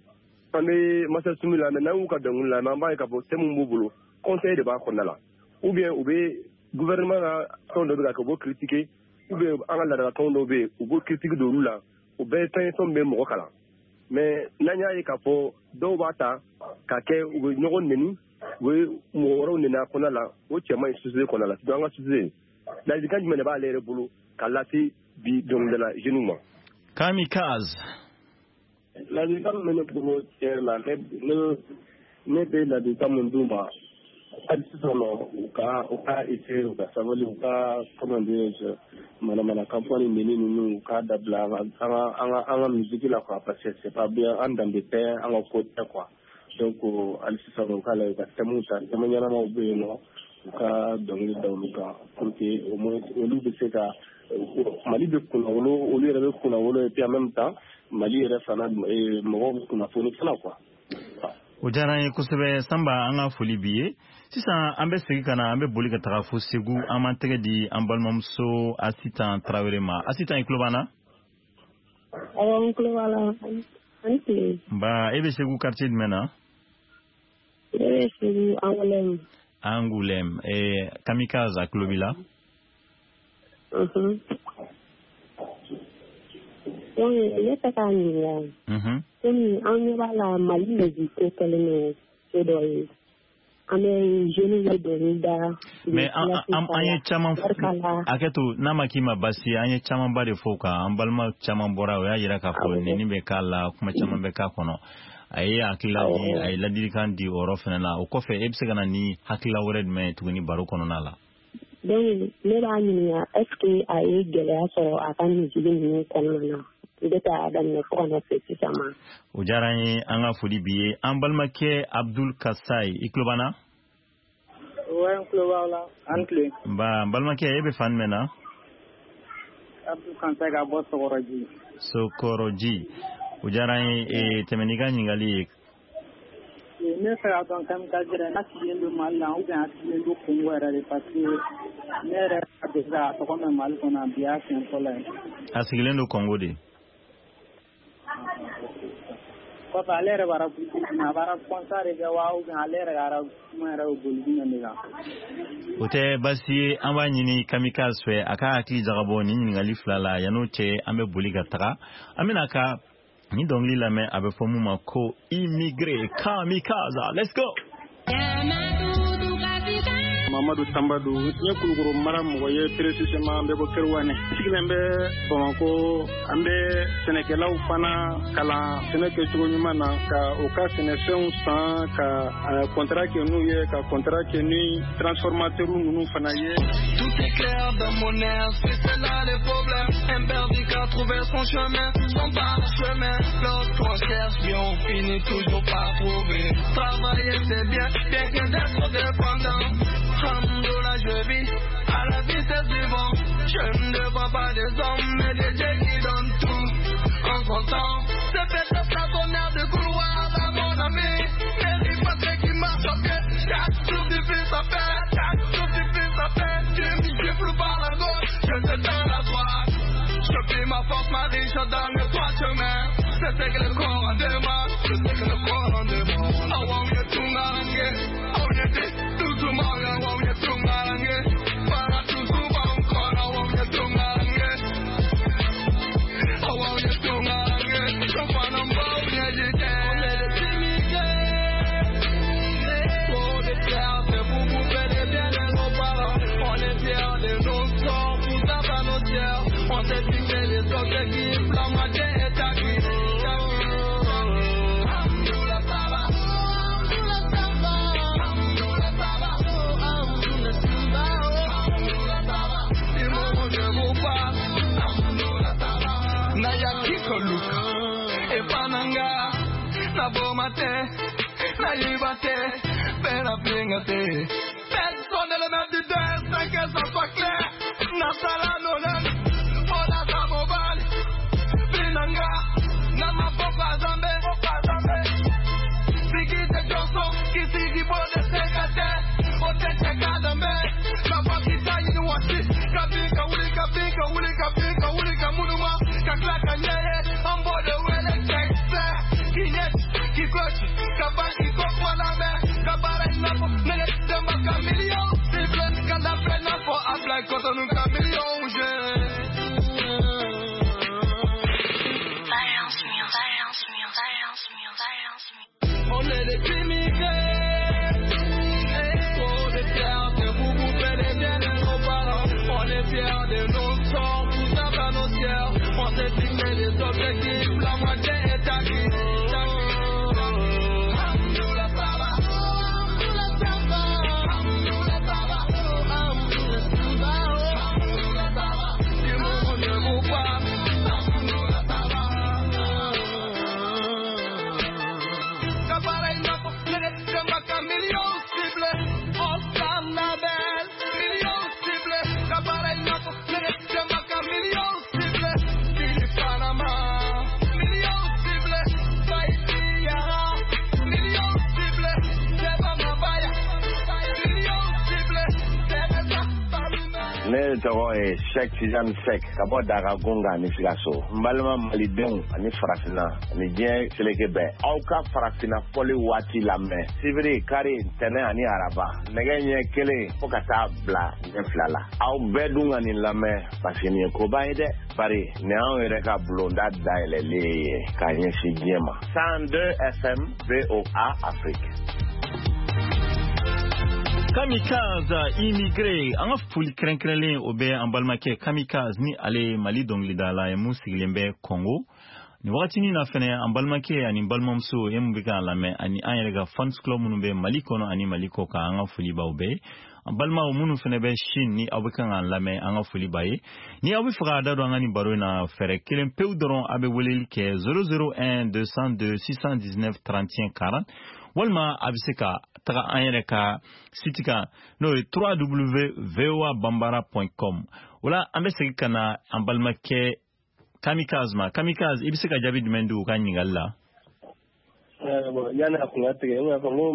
an bɛ Masa Sumi lamɛn, n'an y'u ka dɔnkili lamɛn, an b'a ye k'a fɔ thème mun b'u bolo, conseil de b'a kɔnɔna la, ou bien u bɛ gouvernement ka fɛn dɔ bɛ ka kɛ, u b'o critiquer, ou bien an ka laadalafɛnw dɔw bɛ yen, u b'o critique don olu la. O bɛɛ ye fɛn ye, fɛn min bɛ mɔgɔ kalan. Mais n'an y'a ye k'a fɔ dɔw b'a ta k'a kɛ, u bɛ ɲɔgɔn neni, u bɛ mɔgɔ wɛrɛw neni a kɔnɔna la, o cɛ man ɲi société kɔnɔna la, surtout an ka société. Ladilikan jumɛn de b'ale yɛrɛ bolo k'a lase bi dɔnkilidala jeunes ma? Kamikaze. Ladilikan min bɛ ne bolo, tiɲɛ yɛrɛ la, ne bɛ ladilikan min d'u ma Hali sisan nɔ, u ka essayer, u ka sabali, u ka, comment dirais-je, manamanakan fɔ ni neni ninnu, u k'a dabila an ka musique la quoi, parce que c'est pas bien, an danbe tɛ, an ka ko tɛ quoi. Donc hali sisan nɔ, u k'a lajɛ, u ka thème ta, thème ɲɛnamaw bɛ yen nɔ, u ka dɔnkili da olu kan pour que au moins olu bɛ se ka Mali bɛ kunnawolo, olu yɛrɛ bɛ kunnawolo, et puis en même temps Mali yɛrɛ fana mɔgɔw bɛ kunnafoni fana quoi. O diyara an ye kosɛbɛ, Sanba, an ka foli b'i ye. Sisan an bɛ segin ka na, an bɛ boli ka taga fo Segu. An b'an tɛgɛ di an balimamuso Asitan Tarawele ma. Asitan, i tulo b'an na? Awɔ, n tulo b'a la. Ani tile. Nba, e bɛ Segu quartier jumɛn na? Ne bɛ Segu Angoulême. Angoulême. Kamikaze a tulo b'i la. Donc ne fɛ k'a ɲininka. Komi an ɲɛ b'a la, Mali musique ko kɛlen don ko dɔ ye. An bɛ jeunes bɛ dɔnkili da. Mais an ye caman, hakɛ to, n'a ma k'i ma baasi ye, an ye camanba de fɔ o kan. An balima caman bɔra, o y'a yira k'a fɔ nɛni bɛ k'a la, kuma caman bɛ k'a kɔnɔ. A ye hakilila di, a ye ladilikan di o yɔrɔ fana la. O kɔfɛ, e bɛ se ka na ni hakilila wɛrɛ jumɛn ye tuguni baro kɔnɔna la? Donc ne b'a ɲininka, est ce que a ye gɛlɛya sɔrɔ a ka musique ninnu kɔnɔna na depuis a y'a daminɛ fo ka na se sisan ma? O diyara an ye, an ka foli b'i ye. An balimakɛ Abdul Kasai, i tulo b'an na? Ouais, n tulo b'aw la. An tile. Nba, n balimakɛ, e bɛ fan jumɛn na? Abdul Kasai ka bɔ Sɔgɔrɔji. Sokɔrɔji, o diyara an ye. Tɛmɛ n'i ka ɲininkali ye. Ne fɛ k'a dɔn, Kamikaze yɛrɛ n'a sigilen don Mali la ou bien a sigilen don Congo yɛrɛ de, parce que ne yɛrɛ ka deli k'a tɔgɔ mɛn Mali kɔnɔ, bi y'a siɲɛ fɔlɔ ye. A sigilen don Congo de. Kɔfɛ, ale yɛrɛ b'a rap, a b'a rap concert de kɛ wa, ou bien ale yɛrɛ ka rap kuma yɛrɛ bɛ boli jumɛn de kan? O tɛ baasi ye. An b'a ɲini Kamikaze fɛ a ka hakili jagabɔ nin ɲininkali fila la. Yan'o cɛ, an bɛ boli ka taga, an bɛna ka nin dɔnkili lamɛn, a bɛ fɔ mun ma ko Immigré. Kamikaze, let's go. Mamadu Tanba don. N ye Kulukoro mara mɔgɔ ye, précisément an bɛ bɔ Kerouané, sigilen bɛ Bamakɔ. An bɛ sɛnɛkɛlaw fana kalan sɛnɛ kɛcogo ɲuman na, ka u ka sɛnɛfɛnw san, ka contrat kɛ n'u ye, ka contrat kɛ ni transformateur ninnu fana ye. Tout est clair dans mon esprit, c'est là les problèmes. Un perdu qui a trouvé son chemin, son parchemin. Lorsqu'on cherche bien, on finit toujours par trouver. Travailler c'est bien, bien que d'être dépendant. Alhamdoulilah, je vis à la vitesse du vent. Je ne vois pas des hommes, mais des dieux qui donnent tout en son temps. C'est peut-être ça ton air de couloir à mon ami. Mais pas qui marche à pied. Chaque jour du fils à faire, chaque jour du fils à faire. Tu me gifles par la gauche, je te donne la droite. Je prie ma force, ma richesse dans le droit chemin. C'est ce que le Coran demande, c'est ce que le Coran demande. I want you to ngarange, I want you to do I want you to ngarange. Para tu I want you to ngarange. I want you to ngarange. Je On est des immigrés, trop de fierté pour bouffer les biens de nos parents. On est fiers de nos sorts, tout ça va nos tiers. On s'est fixé les objectifs, la moitié est acquis. Alhamdoulilah, ça va. Alhamdoulilah, ça va. Alhamdoulilah, ça va. Je vous parle. Alhamdoulilah, ça va. Nayaki koluka, epananga, naboma te, nayiba te, pera pinga te. Personne ne le met du destin, que ça soit clair. Nasala nonan, ona zamobal, binanga, nama boka zambe, Sigi te Johnson, kisigi bode sekate, ote chekadambe, kapakita yini wasi, kabika wuli kabika wuli kabika wuli kamunuma, kaklaka nyeye, ambode wele kekse, kinyet, kikochi, kabaki kokwaname, kabara inapo, nene demba kamilio, sible, kalape nafo, ablay kotonu kamilio, je. On est des immigrés, trop de fierté pour bouffer les biens de nos parents. On est fiers de nos sorts, tout ça va nos tiers. On s'est fixé des objectifs, la moitié est acquis. Alhamdoulilah, ça va. Alhamdoulilah, ça va. tɔgɔ ye Cheikh Tidiane Seck ka bɔ Daga Gonga ni Sikaso. N balima malidenw ani farafinna ani diɲɛ seleke bɛɛ, aw ka farafinna fɔli waati lamɛn sibiri, kari, ntɛnɛn ani araba, nɛgɛ ɲɛ 1 fo ka taa bila ɲɛ 2 la. Aw bɛɛ dun ka nin lamɛn parce que nin ye koba ye dɛ, bari nin y'anw yɛrɛ ka bulonda dayɛlɛlen ye k'a ɲɛsin diɲɛ ma. 102 FM VOA Afrique. Kamikaze immigré, an ka foli kɛrɛnkɛrɛnlen o bɛ an balimakɛ Kamikaze ni ale ye Mali dɔnkilidala ye mun sigilen bɛ Congo nin wagatinin na. Fɛnɛ an balimakɛ ani balimamuso e mun bɛ k'an lamɛn, ani an yɛrɛ ka fans club minnu bɛ Mali kɔnɔ ani Mali kɔ kan, an ka foli b'aw bɛɛ. An balimaw minnu fɛnɛ bɛ Chine ni aw bɛ kan k'an lamɛn, an ka foli b'a ye. Ni aw bɛ fɛ k'a da don an ka nin baro in na, fɛɛrɛ kelen pewu dɔrɔn, a bɛ weleli kɛ 001 202 619 31 40, walima a bɛ se ka taga an yɛrɛ ka site kan, n'o ye www.voabambara.com. O la an bɛ segin ka na an balimakɛ Kamikaze ma. Kamikaze, i bɛ se ka jaabi jumɛn di u ka ɲininkali la? Bon, yanni a kun ka tigɛ, n y'a fɔ n ko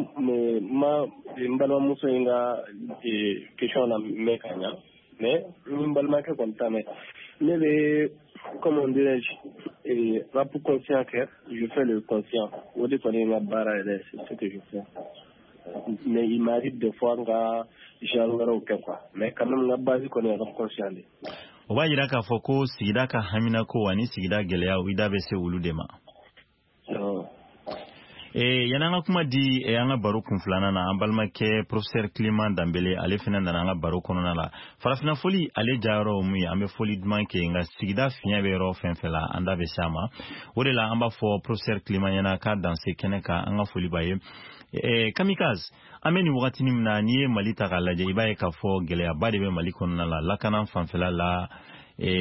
ma n balimamuso in ka question na mɛn ka ɲa, mais n balimakɛ kɔni t'a mɛn. Ne bɛ, comment dirais-je, rap conscient kɛ, je fais le conscient, o de kɔni ye n ka baara yɛrɛ, c'est ce que je fais, mais il m'arrive des fois n ka genre wɛrɛw kɛ quoi, mais quand même n ka base kɔni ye rap conscient de. O b'a yira k'a fɔ ko sigida ka haminako ani sigida gɛlɛyaw, i da bɛ se olu de ma. Yanni an ka kuma di an ka baro kun filanan na, an balimakɛ professeur Clément Danbele, ale fana nana an ka baro kɔnɔna la. Farafinna foli ale jayɔrɔ mun ye, an bɛ foli duman kɛ, nka sigida fiɲɛ bɛ yɔrɔ fɛn fɛn la, an da bɛ se a ma. O de la an b'a fɔ professeur Clément ɲɛna k'a danse kɛnɛ kan, an ka foli b'a ye. Kamikaze, an bɛ nin wagatinin min na, n'i ye Mali ta k'a lajɛ, i b'a ye k'a fɔ gɛlɛyaba de bɛ Mali kɔnɔna la, lakana fanfɛla la,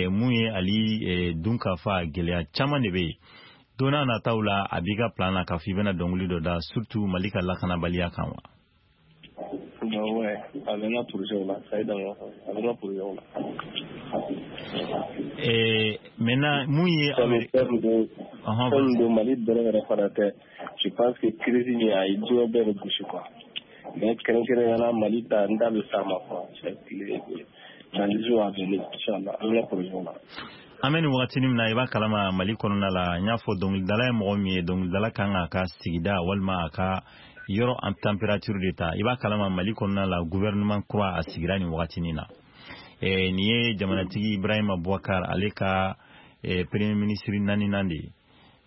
mun ye ali dunkafa, gɛlɛya caman de bɛ yen. Don n'a nataw la, a b'i ka plan na k'a fɔ i bɛna dɔnkili dɔ da surtout Mali ka lakanabaliya kan wa? Ouais, a bɛ n ka projet la, ça aide, a bɛ n ka projet la. Maintenant mun ye fɛn don Mali dɔrɔn yɛrɛ fana tɛ, je pense que crise in a ye diɲɛ bɛɛ de gosi quoi, mais kɛrɛnkɛrɛnnenya la Mali ta, n da bɛ s'a ma quoi, dans les jours à venir, inchallah, a bɛ n ka projet la. An bɛ nin wagatinin min na, i b'a kalama Mali kɔnɔna la, n y'a fɔ dɔnkilidala ye mɔgɔ min ye, dɔnkilidala kan k'a ka sigida walima a ka yɔrɔ en température de ta. I b'a kalama Mali kɔnɔna la, gouvernement kura a sigira nin wagatinin na. Nin ye jamanatigi Ibrahima Boubacar ale ka premier ministre naaninan de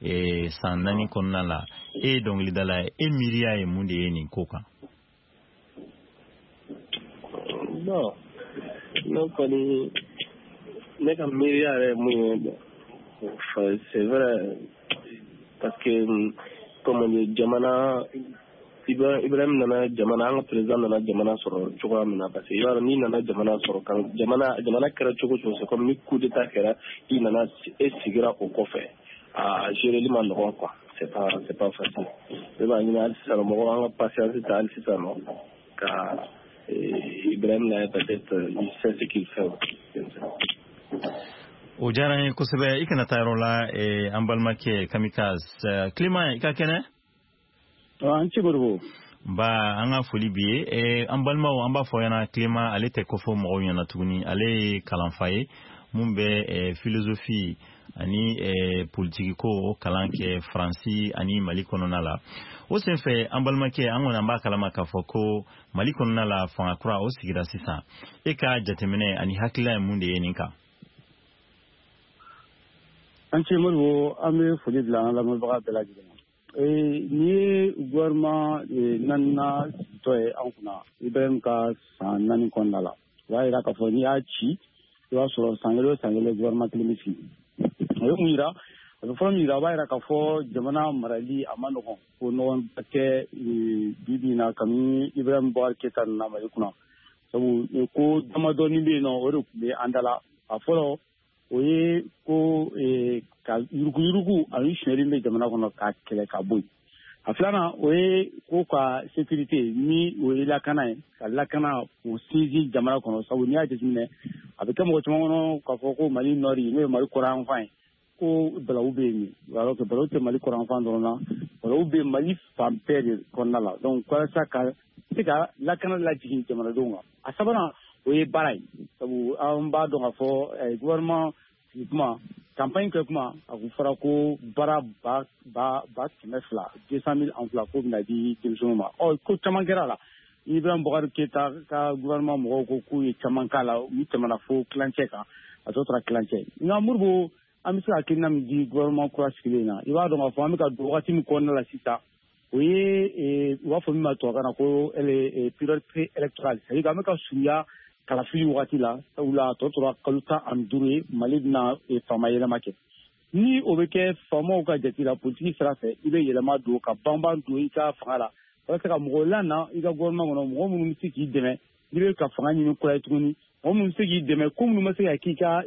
ye san 4 kɔnɔna la. E ye dɔnkilidala ye, e miiriya ye mun de ye nin ko kan? Bon, ne kɔni, ne ka miiriya yɛrɛ ye mun ye, c'est vrai, parce que comme jamana Ibrahim nana jamana, an ka président nana jamana sɔrɔ cogoya min na, parce que i b'a dɔn n'i nana jamana sɔrɔ kan, jamana kɛra cogo cogo, c'est comme ni coup d'état kɛra, i nana e sigira o kɔfɛ, a géreli ma nɔgɔn quoi, c'est pas facile. Ne b'a ɲini hali sisan mɔgɔw an ka patience ta hali sisan nɔ ka Ibrahim lajɛ, peut-être il sait ce qu'il fait. O diyara n ye kosɛbɛ. I kana taa yɔrɔ la, an balimakɛ Kamikaze. Clément, i ka kɛnɛ? An ci Modibo. Ba, an ka foli b'i ye. An balimaw, an b'a fɔ ɲɛna, Clément ale tɛ kɔfɔ mɔgɔw ɲɛna tuguni, ale ye kalanfa ye mun bɛ philosophie ani politiki ko o kalan kɛ Faransi ani Mali kɔnɔna la. O senfɛ, an balimakɛ, an kɔni an b'a kalama k'a fɔ ko Mali kɔnɔna la, fanga kura o sigira sisan. E ka jateminɛ ani hakilila ye mun de ye nin kan? An ce Modibo, an bɛ foli bila an lamɛnbaga bɛɛ lajɛlen ma. Nin ye gouvernement naaninan sigitɔ ye an kunna Ibrahim ka san 4 kɔnɔna la. O b'a yira k'a fɔ n'i y'a ci, i b'a sɔrɔ san kelen o san kelen gouvernement kelen bɛ sigi. O ye mun yira? A bɛ fɔlɔ min yira, o b'a yira k'a fɔ jamana marali a ma nɔgɔn, ko nɔgɔn tɛ bi bi in na kabini Ibrahim Boubacar Keita nana Mali kunna. Sabu ko damadɔni bɛ yen nɔ, o de tun bɛ an da la. A fɔlɔ o ye ko ka yuruguyurugu ani sonyɛli bɛ jamana kɔnɔ ka kɛlɛ ka bɔ yen. A filanan o ye ko ka sécurité ni o ye lakana ye, ka lakana k'o sinsin jamana kɔnɔ. Sabu n'i y'a jateminɛ, a bɛ kɛ mɔgɔ caman kɔnɔ k'a fɔ ko Mali nɔri, n'o ye Mali kɔrɔnyanfan ye, ko balawu bɛ yen, alors que balawu tɛ Mali kɔrɔnyanfan dɔrɔn na, balawu bɛ Mali fan bɛɛ de kɔnɔna la. Donc walasa ka se ka lakana lajigin jamanadenw kan. A sabanan o ye baara ye. Sabu an b'a dɔn k'a fɔ gouvernement sigi kuma, campagne kɛ kuma, a kun fɔra ko baara ba 200 200 000 emplois ko bɛna di denmisɛnninw ma. Ɔ, ko caman kɛra la. Ibrahim Boubacar Keita ka gouvernement mɔgɔw ko k'u ye caman k'a la, u tɛmɛna fo tilancɛ kan, a tɔ tora tilancɛ. Nka Modibo, an bɛ se ka hakilina min di gouvernement kura sigilen na, i b'a dɔn k'a fɔ an bɛ ka don wagati min kɔnɔna la sisan, o ye u b'a fɔ min ma tubabukan na ko période pré-électorale, c'est à dire an bɛ ka surunya kalafili wagati la, sabula a tɔ tora kalo 15 ye Mali bɛna faama yɛlɛma kɛ. Ni o bɛ kɛ faamaw ka jate la politiki sira fɛ, i bɛ yɛlɛma don ka banban don i ka fanga la, walasa ka mɔgɔw lana i ka gouvernement kɔnɔ, mɔgɔ minnu bɛ se k'i dɛmɛ n'i bɛ ka fanga ɲini kura ye tuguni, mɔgɔ minnu bɛ se k'i dɛmɛ ko minnu ma se ka k'i ka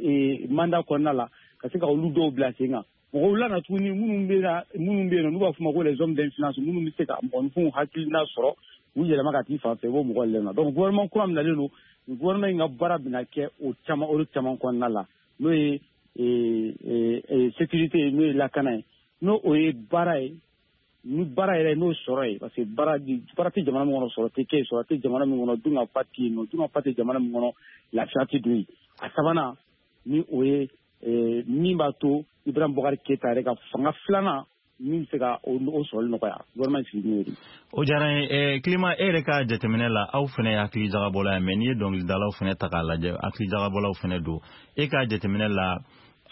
mandat kɔnɔna la, ka se ka olu dɔw bila sen kan. Mɔgɔw lana tuguni minnu bɛ yen nɔ n'u b'a fɔ ma ko les hommes d'influence, minnu bɛ se ka mɔgɔninfinw hakilina sɔrɔ u yɛlɛma ka t'i fan fɛ, i b'o mɔgɔ lena. Donc gouvernement kura min nalen don, gouvernement in ka baara bɛna kɛ o caman olu caman kɔnɔna la, n'o ye sécurité, n'o ye lakana ye, n'o o ye baara ye, ni baara yɛrɛ n'o sɔrɔ ye, parce que baara tɛ jamana min kɔnɔ, sɔrɔ tɛ kɛ yen, sɔrɔ tɛ jamana min kɔnɔ, dun ka fa tɛ yen nɔ, dun ka fa tɛ jamana min kɔnɔ, lafiya tɛ don yen. A sabanan ni o ye min b'a to Ibrahim Boubacar Keita yɛrɛ ka fanga filanan min bɛ se ka o sɔrɔli nɔgɔya, gouvernement sigi n'o ye. O diyara n ye. Clément, e yɛrɛ ka jateminɛ la, aw fana ye hakili jagabɔla ye, mais n'i ye dɔnkilidalaw fana ta k'a lajɛ, hakili jagabɔlaw fana don. E ka jateminɛ la,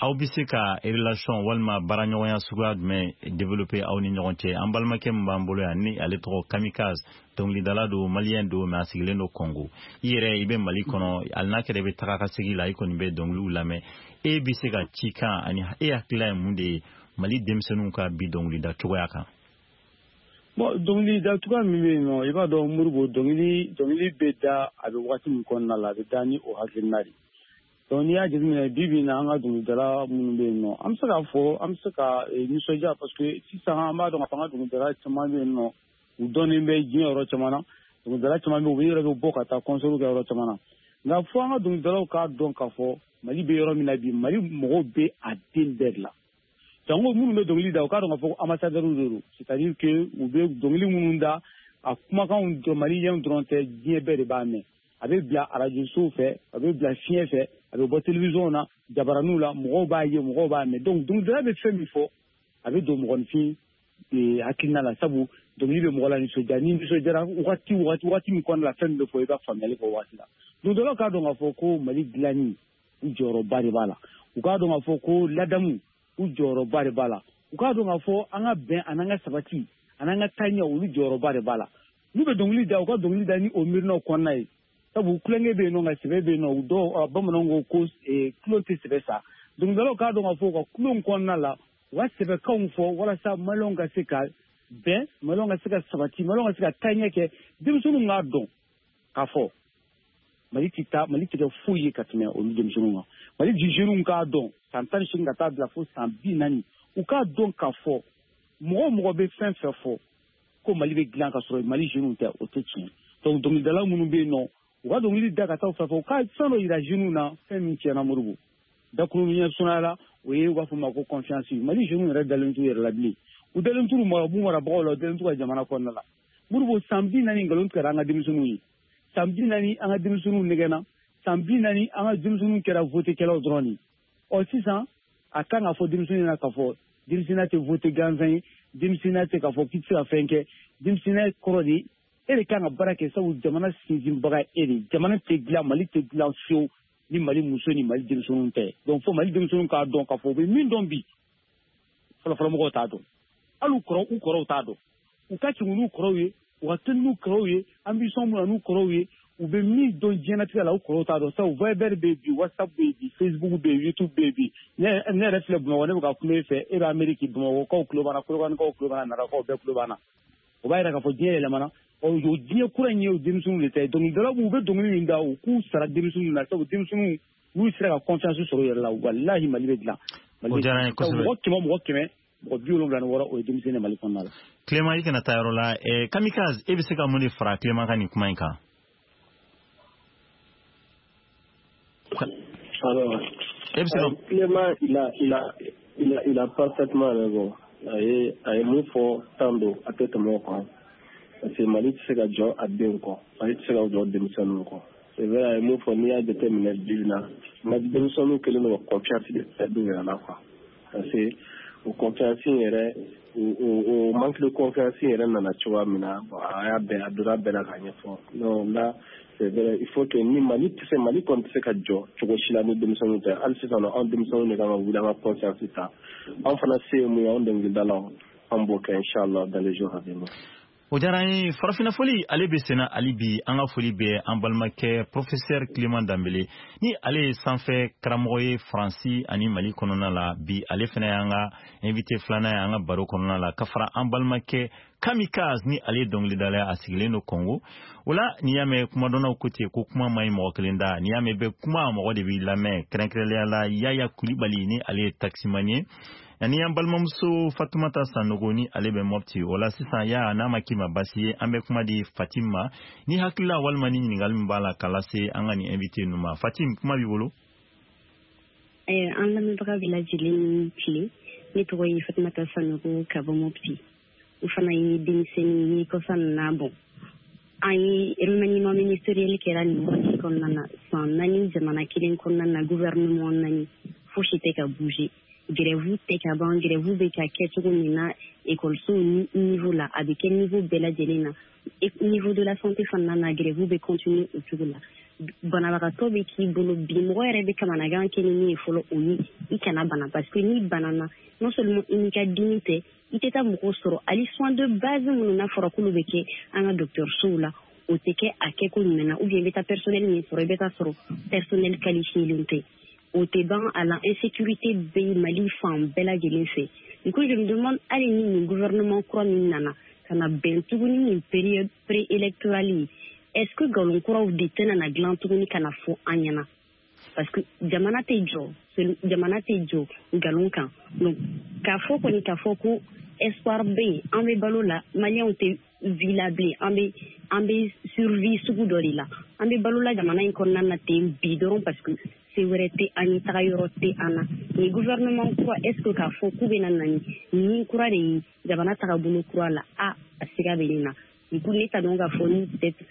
aw bɛ se ka relation walima baaraɲɔgɔnya suguya jumɛn développer aw ni ɲɔgɔn cɛ? An balimakɛ min b'an bolo yan, ni ale tɔgɔ Kamikaze, dɔnkilidala don, maliyɛn don, mais a sigilen don Congo. I yɛrɛ i bɛ Mali kɔnɔ, hali n'a kɛra i bɛ taga ka segin la, i kɔni bɛ dɔnkiliw lamɛn. E bɛ se ka cikan ani e hakilila ye mun de ye Mali denmisɛnninw ka bi dɔnkilida cogoya kan? Bon, dɔnkilida cogoya min bɛ yen nɔ, i b'a dɔn Modibo, dɔnkili bɛ da a bɛ waati min kɔnɔna la, a bɛ da ni o hakilina de. Donc n'i y'a jateminɛ bi bi in na, an ka dɔnkilidala minnu bɛ yen nɔ, an bɛ se k'a fɔ an bɛ se ka nisɔndiya, parce que sisan an b'a dɔn k'a fɔ an ka dɔnkilidala caman bɛ yen nɔ, u dɔnnen bɛ diɲɛ yɔrɔ caman na, dɔnkilidala caman bɛ yen, u yɛrɛ bɛ bɔ ka taa concert kɛ yɔrɔ caman na. Nka fo an ka dɔnkilidalaw k'a dɔn k'a fɔ Mali bɛ yɔrɔ min na bi, Mali mɔgɔw bɛ a den bɛɛ de la. Jango minnu bɛ dɔnkili da, u k'a dɔn k'a fɔ ko ambassadeurs de don, c'est-à-dire que u bɛ dɔnkili minnu da, a kumakanw maliyɛnw dɔrɔn tɛ, diɲɛ bɛɛ de b'a mɛn. A bɛ bila arajosow fɛ, a bɛ bila fiɲɛ fɛ, a bɛ bɔ télévision na, jabaraninw la, mɔgɔw b'a ye, mɔgɔw b'a mɛn. Donc dɔnkilidala bɛ fɛn min fɔ, a bɛ don mɔgɔninfin hakilina la, sabu dɔnkili bɛ mɔgɔ la nisɔndiya. Ni nisɔndiyara waati min kɔnɔna la, fɛn min bɛ fɔ, i b'a faamuyali kɛ o waati la. Dɔnkilidalaw k'a dɔn k'a fɔ ko Mali dilanni, u jɔyɔrɔba de b'a la. U k'a dɔn k'a fɔ ko ladamu, u jɔyɔrɔba de b'a la. U k'a dɔn k'a fɔ an ka bɛn an'an ka sabati an'an ka taaɲɛ, olu jɔyɔrɔba de b'a la. N'u bɛ dɔnkili da, u ka dɔnkili da ni o miirinaw kɔnɔna ye. Sabu kulonkɛ bɛ yen nɔ, nka sɛbɛ bɛ yen nɔ. Dɔw bamananw ko kulon tɛ sɛbɛ sa. Dɔnkilidalaw k'a dɔn k'a fɔ u ka kulon kɔnɔna la, u ka sɛbɛkanw fɔ walasa maliyɛnw ka se ka bɛn, maliyɛnw ka se ka sabati, maliyɛnw ka se ka taaɲɛ kɛ. Denmisɛnninw k'a dɔn k'a fɔ Mali tɛ taa, Mali tɛ kɛ foyi ye ka tɛmɛ olu denmisɛnninw kan. Mali jeunes k'a dɔn san 18 ka taa bila fo san 40, u k'a dɔn k'a fɔ mɔgɔ o mɔgɔ bɛ fɛn fɛn fɔ ko Mali bɛ dilan ka sɔrɔ Mali jeunes tɛ, o tɛ tiɲɛ. Donc dɔnkilidala minnu bɛ yen nɔ, u ka dɔnkili da ka taa u fɛ, u ka fɛn dɔ yira jeunes na, fɛn min tiɲɛna Modibo. Dakuru ɲɛ surunya la, o ye u b'a fɔ ma ko confiance. Mali jeunes yɛrɛ dalen t'u yɛrɛ la bilen. U dalen t'u marabagaw la, u dalen t'u ka jamana kɔnɔna la. Modibo, san 40 nkalon tigɛra an ka denmisɛnninw ye. San 40 an ka denmisɛnninw nɛgɛnna. San 40 an ka denmisɛnninw kɛra votekɛlaw dɔrɔn de. Ɔ sisan a kan ka fɔ denmisɛnnin ɲɛna k'a fɔ denmisɛnninya tɛ vote gansan ye, denmisɛnninya tɛ k'a fɔ k'i tɛ se ka fɛn kɛ. Denmisɛnninya kɔrɔ de e de kan ka baara kɛ, sabu jamana sinsinbaga e de. Jamana tɛ dilan, Mali tɛ dilan fiyewu ni Mali muso ni Mali denmisɛnninw tɛ. Donc fo Mali denmisɛnninw k'a dɔn k'a fɔ u bɛ min dɔn bi, fɔlɔfɔlɔmɔgɔw t'a dɔn, hali u kɔrɔw t'a dɔn. U ka tugu n'u kɔrɔw ye, u ka teli n'u kɔrɔw ye, ambition mun na n'u kɔrɔw ye, u bɛ min dɔn diɲɛlatigɛ la, u kɔrɔw t'a dɔn. Sabu Viber bɛ yen bi, WhatsApp bɛ yen bi, Facebook bɛ yen, YouTube bɛ yen bi. Ne yɛrɛ filɛ Bamakɔ, ne bɛ ka kuma e fɛ, e bɛ Amérique, Bamakɔkaw tulo b'an na, Kolokanikaw tulo b'an na, Narakaw bɛɛ tulo b'an na. O b'a yira k'a fɔ diɲɛ yɛlɛmana. Ɔ o diɲɛ kura in ye o denmisɛnninw de ta ye. Dɔnkilidalaw u bɛ dɔnkili min da, u k'u sara denmisɛnninw na, sabu denmisɛnninw n'u sera ka confiance sɔrɔ u yɛrɛ la, walahi Mali bɛ dilan. O diyara n ye kosɛbɛ. Mɔgɔ 100 mɔgɔ 100 mɔgɔ 76 o ye denmisɛnnin ye Mali kɔnɔna la. Clément, i kana taa yɔrɔ la. Kamikaze, e bɛ se ka mun de fara Clément ka nin kuma in kan? Alors, Clément, il a parfaitement raison. A ye mun fɔ tan don, a tɛ tɛmɛ o kan. Parce que Mali tɛ se ka jɔ a denw kɔ, Mali tɛ se ka jɔ denmisɛnninw kɔ. C'est vrai, a ye mun fɔ, n'i y'a jateminɛ bi na, denmisɛnninw kɛlen don ka confiance de perdre u yɛrɛ la quoi, parce que o confiance in yɛrɛ, o manque de confiance in yɛrɛ nana cogoya min na, bon, a y'a bɛɛ, a donna bɛɛ la k'a ɲɛfɔ. Non, là c'est vrai, il faut que ni Mali tɛ se, Mali kɔni tɛ se ka jɔ cogo si la ni denmisɛnninw tɛ. Hali sisan nɔ, anw denmisɛnninw de kan ka wuli, an ka conscience ta. Anw fana se ye mun ye, anw dɔnkilidalaw, an b'o kɛ inchallah dans les jours à venir. O diyara an ye. Farafinna foli, ale bɛ senna hali bi. An ka foli bɛ an balimakɛ professeur Clément Danbele, ni ale ye sanfɛ karamɔgɔ ye Faransi ani Mali kɔnɔna la. Bi ale fana y'an ka invité filanan ye an ka baro kɔnɔna la, ka fara an balimakɛ Kamikaze, ni ale ye dɔnkilidala ye, a sigilen don Congo. O la, n'i y'a mɛn kumadɔnnaw ko ten ko kuma man ɲi mɔgɔ kelen da, n'i y'a mɛn bɛ kuma, mɔgɔ de b'i lamɛn, kɛrɛnkɛrɛnnenya la Yaya Kulibali, ni ale ye taximan ye, ani an balimamuso Fatumata Sanogo, ni ale bɛ Mɔpti. O la sisan, ya n'a ma k'i ma basi ye, an bɛ kuma di Fatim ma, ni hakilila walima ni ɲininkali min b'a la k'a lase an ka nin invité ninnu ma. Fatim, kuma b'i bolo. An lamɛnbaga bɛɛ lajɛlen ni tile. Ne tɔgɔ ye Fatumata Sanogo ka bɔ Mɔpti. O fana ye denmisɛnnin ye. Kɔsa nin na, bon, an ye remaniement ministériel kɛra nin wagati kɔnɔna na. San 4, jamana kelen kɔnɔna na, gouvernement naani, fosi tɛ ka bouger, grève tɛ ka ban. Grève bɛ ka kɛ cogo min na ekɔlisow niveau la, a bɛ kɛ niveau bɛɛ lajɛlen na. Niveau de la santé fana na, grève bɛ continuer o cogo la. Banabagatɔ bɛ k'i bolo bi, mɔgɔ yɛrɛ bɛ kamanagan kɛ ni min ye fɔlɔ, o ye i kana bana, parce que n'i banana, non seulement i n'i ka dimi tɛ, i tɛ taa mɔgɔw sɔrɔ. Hali soins de base minnu n'a fɔra k'olu bɛ kɛ an ka dɔgɔtɔrɔsow la, o tɛ kɛ a kɛko ɲuman na, ou bien i bɛ taa personnel min sɔrɔ, i bɛ taa sɔrɔ personnel qualifié tɛ. O tɛ ban a la, insécurité bɛ Mali fan bɛɛ lajɛlen fɛ. Du coup, je me demande, hali ni nin gouvernement kura min nana ka na bɛn tuguni nin période préélectorale ye, est-ce que nkalon kuraw de tɛna na dilan tuguni ka na fɔ an ɲɛna? Parce que jamana tɛ jɔ, jamana tɛ jɔ nkalon kan. Donc k'a fɔ kɔni, k'a fɔ ko espoir bɛ yen, an bɛ balo la, Maliyɛnw tɛ vie la bilen, an bɛ survie sugu dɔ de la. An bɛ balo la jamana in kɔnɔna na ten bi dɔrɔn, parce que se wɛrɛ tɛ an ye, taga yɔrɔ tɛ an na. Nin gouvernement kura, est ce que k'a fɔ k'u bɛna na ni kura de ye jamana tagabolo kura la, a siga bɛ nin na. Du coup, ne t'a dɔn k'a fɔ ni peut-être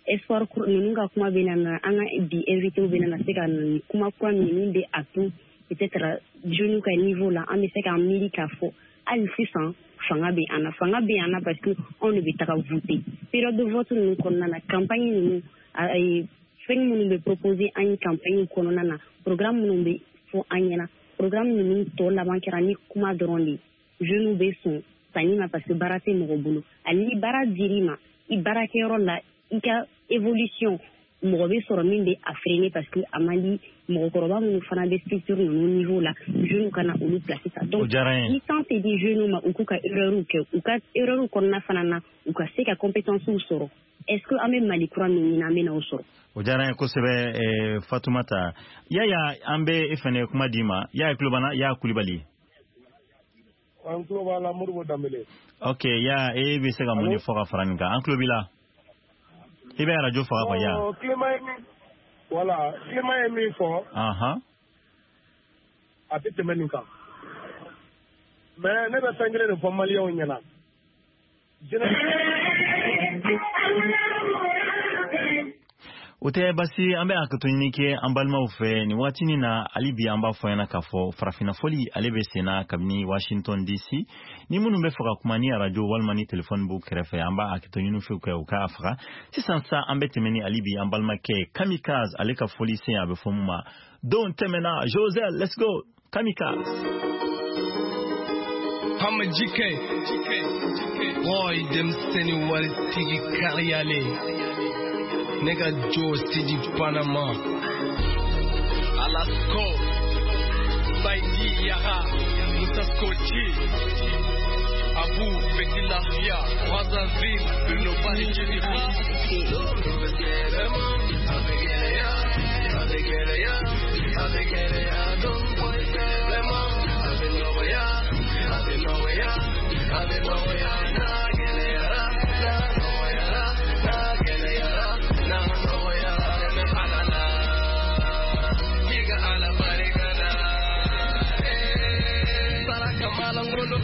espoir ninnu ka kuma bɛ na, an ka bi invité bɛ na se ka na ni kuma kura min bɛ a to peut-être jeunes ka niveau la, an bɛ se k'an miiri k'a fɔ hali sisan fanga bɛ an na, fanga bɛ an na, parce que anw de bɛ taga voter. Période de vote ninnu kɔnɔna na, campagne ninnu, fɛn minnu bɛ proposer an ye campagne kɔnɔna na, programme minnu bɛ fɔ an ɲɛna, programme ninnu tɔ laban kɛra ni kuma dɔrɔn de ye. Jeunes bɛ sɔn sanni ma parce que baara tɛ mɔgɔ bolo. Hali ni baara dir'i ma i baarakɛyɔrɔ la, i ka évolution, mɔgɔ bɛ sɔrɔ min bɛ a freiner, parce que a man di mɔgɔkɔrɔba minnu fana bɛ structure ninnu niveau la, jeunes kana olu place ta. Donc ni temps tɛ di jeunes ma u k'u ka erreur kɛ, u ka erreur kɔnɔna fana na, u ka se ka compétences sɔrɔ, est ce que an bɛ Mali kura min ɲini, an bɛ na o sɔrɔ? O diyara n ye kosɛbɛ, Fatumata. Yaya, an bɛ e fɛnɛ kuma d'i ma. Yaya Kulobana, Yaya Kulibali. An tulo b'a la, Modibo Danbele. Ok, ya e bɛ se ka mun de fɔ ka fara nin kan? An tulo b'i la. I bɛ arajo faga quoi, ya. Clément ye min, voilà, Clément ye min fɔ, a tɛ tɛmɛ nin kan. Mais ne bɛ fɛn kelen de fɔ Maliyɛnw ɲɛna. Jeunesse O tɛ basi, an bɛ hakɛto ɲini kɛ an balimaw fɛ nin waatinin na. Hali bi an b'a fɔ ɲɛna k'a fɔ farafinna fɔli, ale bɛ senna kabini Washington DC. Ni minnu bɛ fɛ ka kuma, ni arajo walima ni telefɔni b'u kɛrɛfɛ, an b'a hakɛto ɲini fɛ kɛ u k'a faga sisan sa. An bɛ tɛmɛ ni hali bi an balimakɛ Kamikaze, ale ka fɔli sen, a bɛ fɔ mun ma don tɛmɛna. José, let's go, Kamikaze. Hama GK, boy, denmisɛnnin waritigi kariyalen, ne ka jo Sidi Panama, Alasko, Saidi Yaha, Musa Skochi, Abu Petit Lafia, Brazzaville, Bruno Bali Jericho.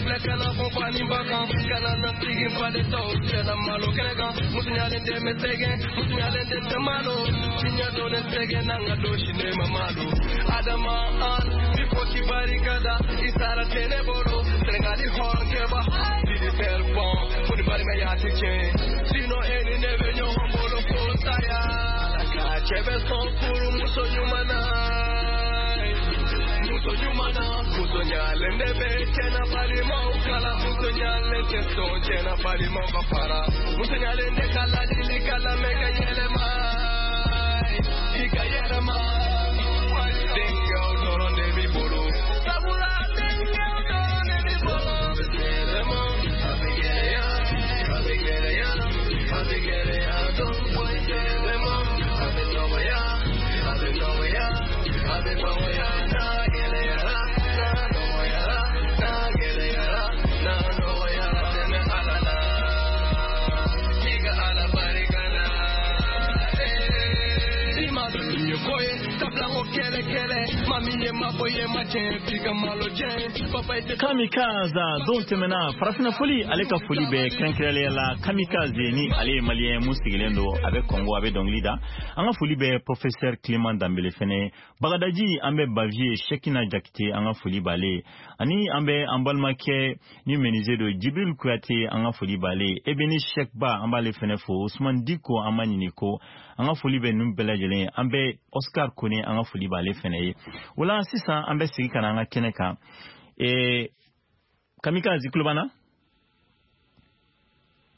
filɛ kana fɔ fa ni ba kan kana na sigi faden tɔw cɛla malo kɛnɛ kan musoɲalen den bɛ sɛgɛn musoɲalen den tɛ malo diɲɛ donnen sɛgɛn n'an ka don si ne ma malo adama an bi fɔ k'i barika da i sara tɛ ne bolo Senegali hɔrɔnkɛba militaire bon fo ni balimaya tɛ tiɲɛ sinon e ni ne bɛ ɲɔgɔn bolo fo saya ka cɛ bɛ sɔn furu muso ɲuman na muso ɲuman na muso ɲalen de bɛ cɛ na balimaw kala muso ɲalen tɛ sɔn cɛ na balimaw ka fara muso ɲalen de ka ladili ka lamɛn ka yɛlɛma i ka yɛlɛma denkɛw dɔrɔn de b'i bolo sabula denkɛw dɔrɔn de b'i bolo yɛlɛma a bɛ gɛlɛya a bɛ gɛlɛya a bɛ gɛlɛya dɔn yɛlɛma a bɛ nɔgɔya a bɛ nɔgɔya a bɛ nɔgɔya n'a gɛlɛyara n'a nɔgɔyara n'a gɛlɛyara n'a nɔgɔyara dɛmɛ Ala la i ka Ala barika la i ma dɔn ye ko ye sabula ko kɛlɛ kɛlɛ maa min ye mabɔ ye ma tiɲɛ f'i ka malo jɛ papa ye Kamikaze don tɛmɛna farafinna foli ale ka foli bɛ kɛrɛnkɛrɛnnenya la Kamikaze ni ale ye maliyɛn mun sigilen don a bɛ Kɔngo a bɛ dɔnkili da an ka foli bɛ professeur Clément Danbele fɛnɛ Bagadaji an bɛ Bavier Sekina Jakite an ka foli b'ale ani an bɛ an balimakɛ ni menuisier don Jibril Kuyate an ka foli b'ale Ebeni Sekba an b'ale fɛnɛ fo Ousmane Diko an ma ɲini ko an ka foli bɛ ninnu bɛɛ lajɛlen an bɛ Oscar Kone an ka foli b'ale fɛnɛ ye o la sisan an bɛ segin ka na an ka kɛnɛ kan Kamikaze tulo b'an na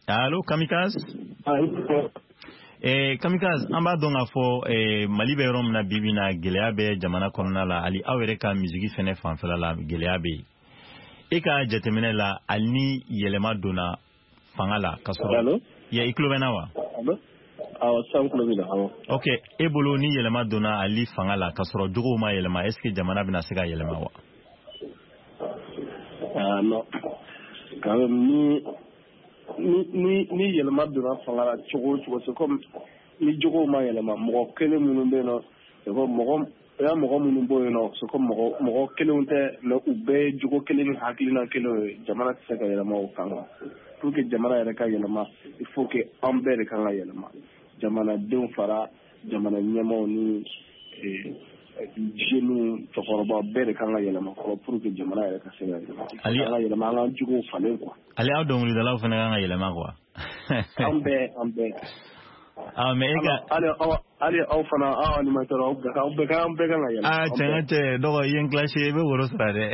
allo Kamikaze Kamikaze an b'a dɔn k'a fɔ Mali bɛ yɔrɔ min na bi bi in na gɛlɛya bɛ jamana kɔnɔna la hali aw yɛrɛ ka misigi fɛnɛ fanfɛla la gɛlɛya bɛ yen e ka jateminɛ la hali ni yɛlɛma donna fanga la ka sɔrɔ ya i tulo bɛ n na wa awɔ sisan tulo b'i la awɔ ok e bolo ni yɛlɛma donna hali fanga la ka sɔrɔ jogow ma yɛlɛma est ce que jamana bɛna se ka yɛlɛma wa ah non quand même ni yɛlɛma donna fanga la cogo o cogo c'est comme ni jogow ma yɛlɛma mɔgɔ kelen minnu bɛ yen nɔ c'est comme mɔgɔ o y'a mɔgɔ minnu bɔ yen nɔ c'est comme mɔgɔ kelenw tɛ mais u bɛɛ ye jogo kelen ni hakilina kelen ye jamana tɛ se ka yɛlɛma o kan quoi pour que jamana yɛrɛ ka yɛlɛma il faut que an bɛɛ de kan ka yɛlɛma jamanadenw fara jamana ɲɛmaaw ni jeunes cɛkɔrɔba bɛɛ de kan ka yɛlɛma fɔlɔ pour que jamana yɛrɛ ka se ka yɛlɛma an ka yɛlɛma an ka jogow falen quoi ale aw dɔnkilidalaw fana kan ka yɛlɛma quoi an bɛɛ ah mais e ka hali aw fana aw animateur aw bɛɛ kan ka yɛlɛma ah tiɲɛ tɛ dɔgɔ i ye n clashé i bɛ woro sara dɛ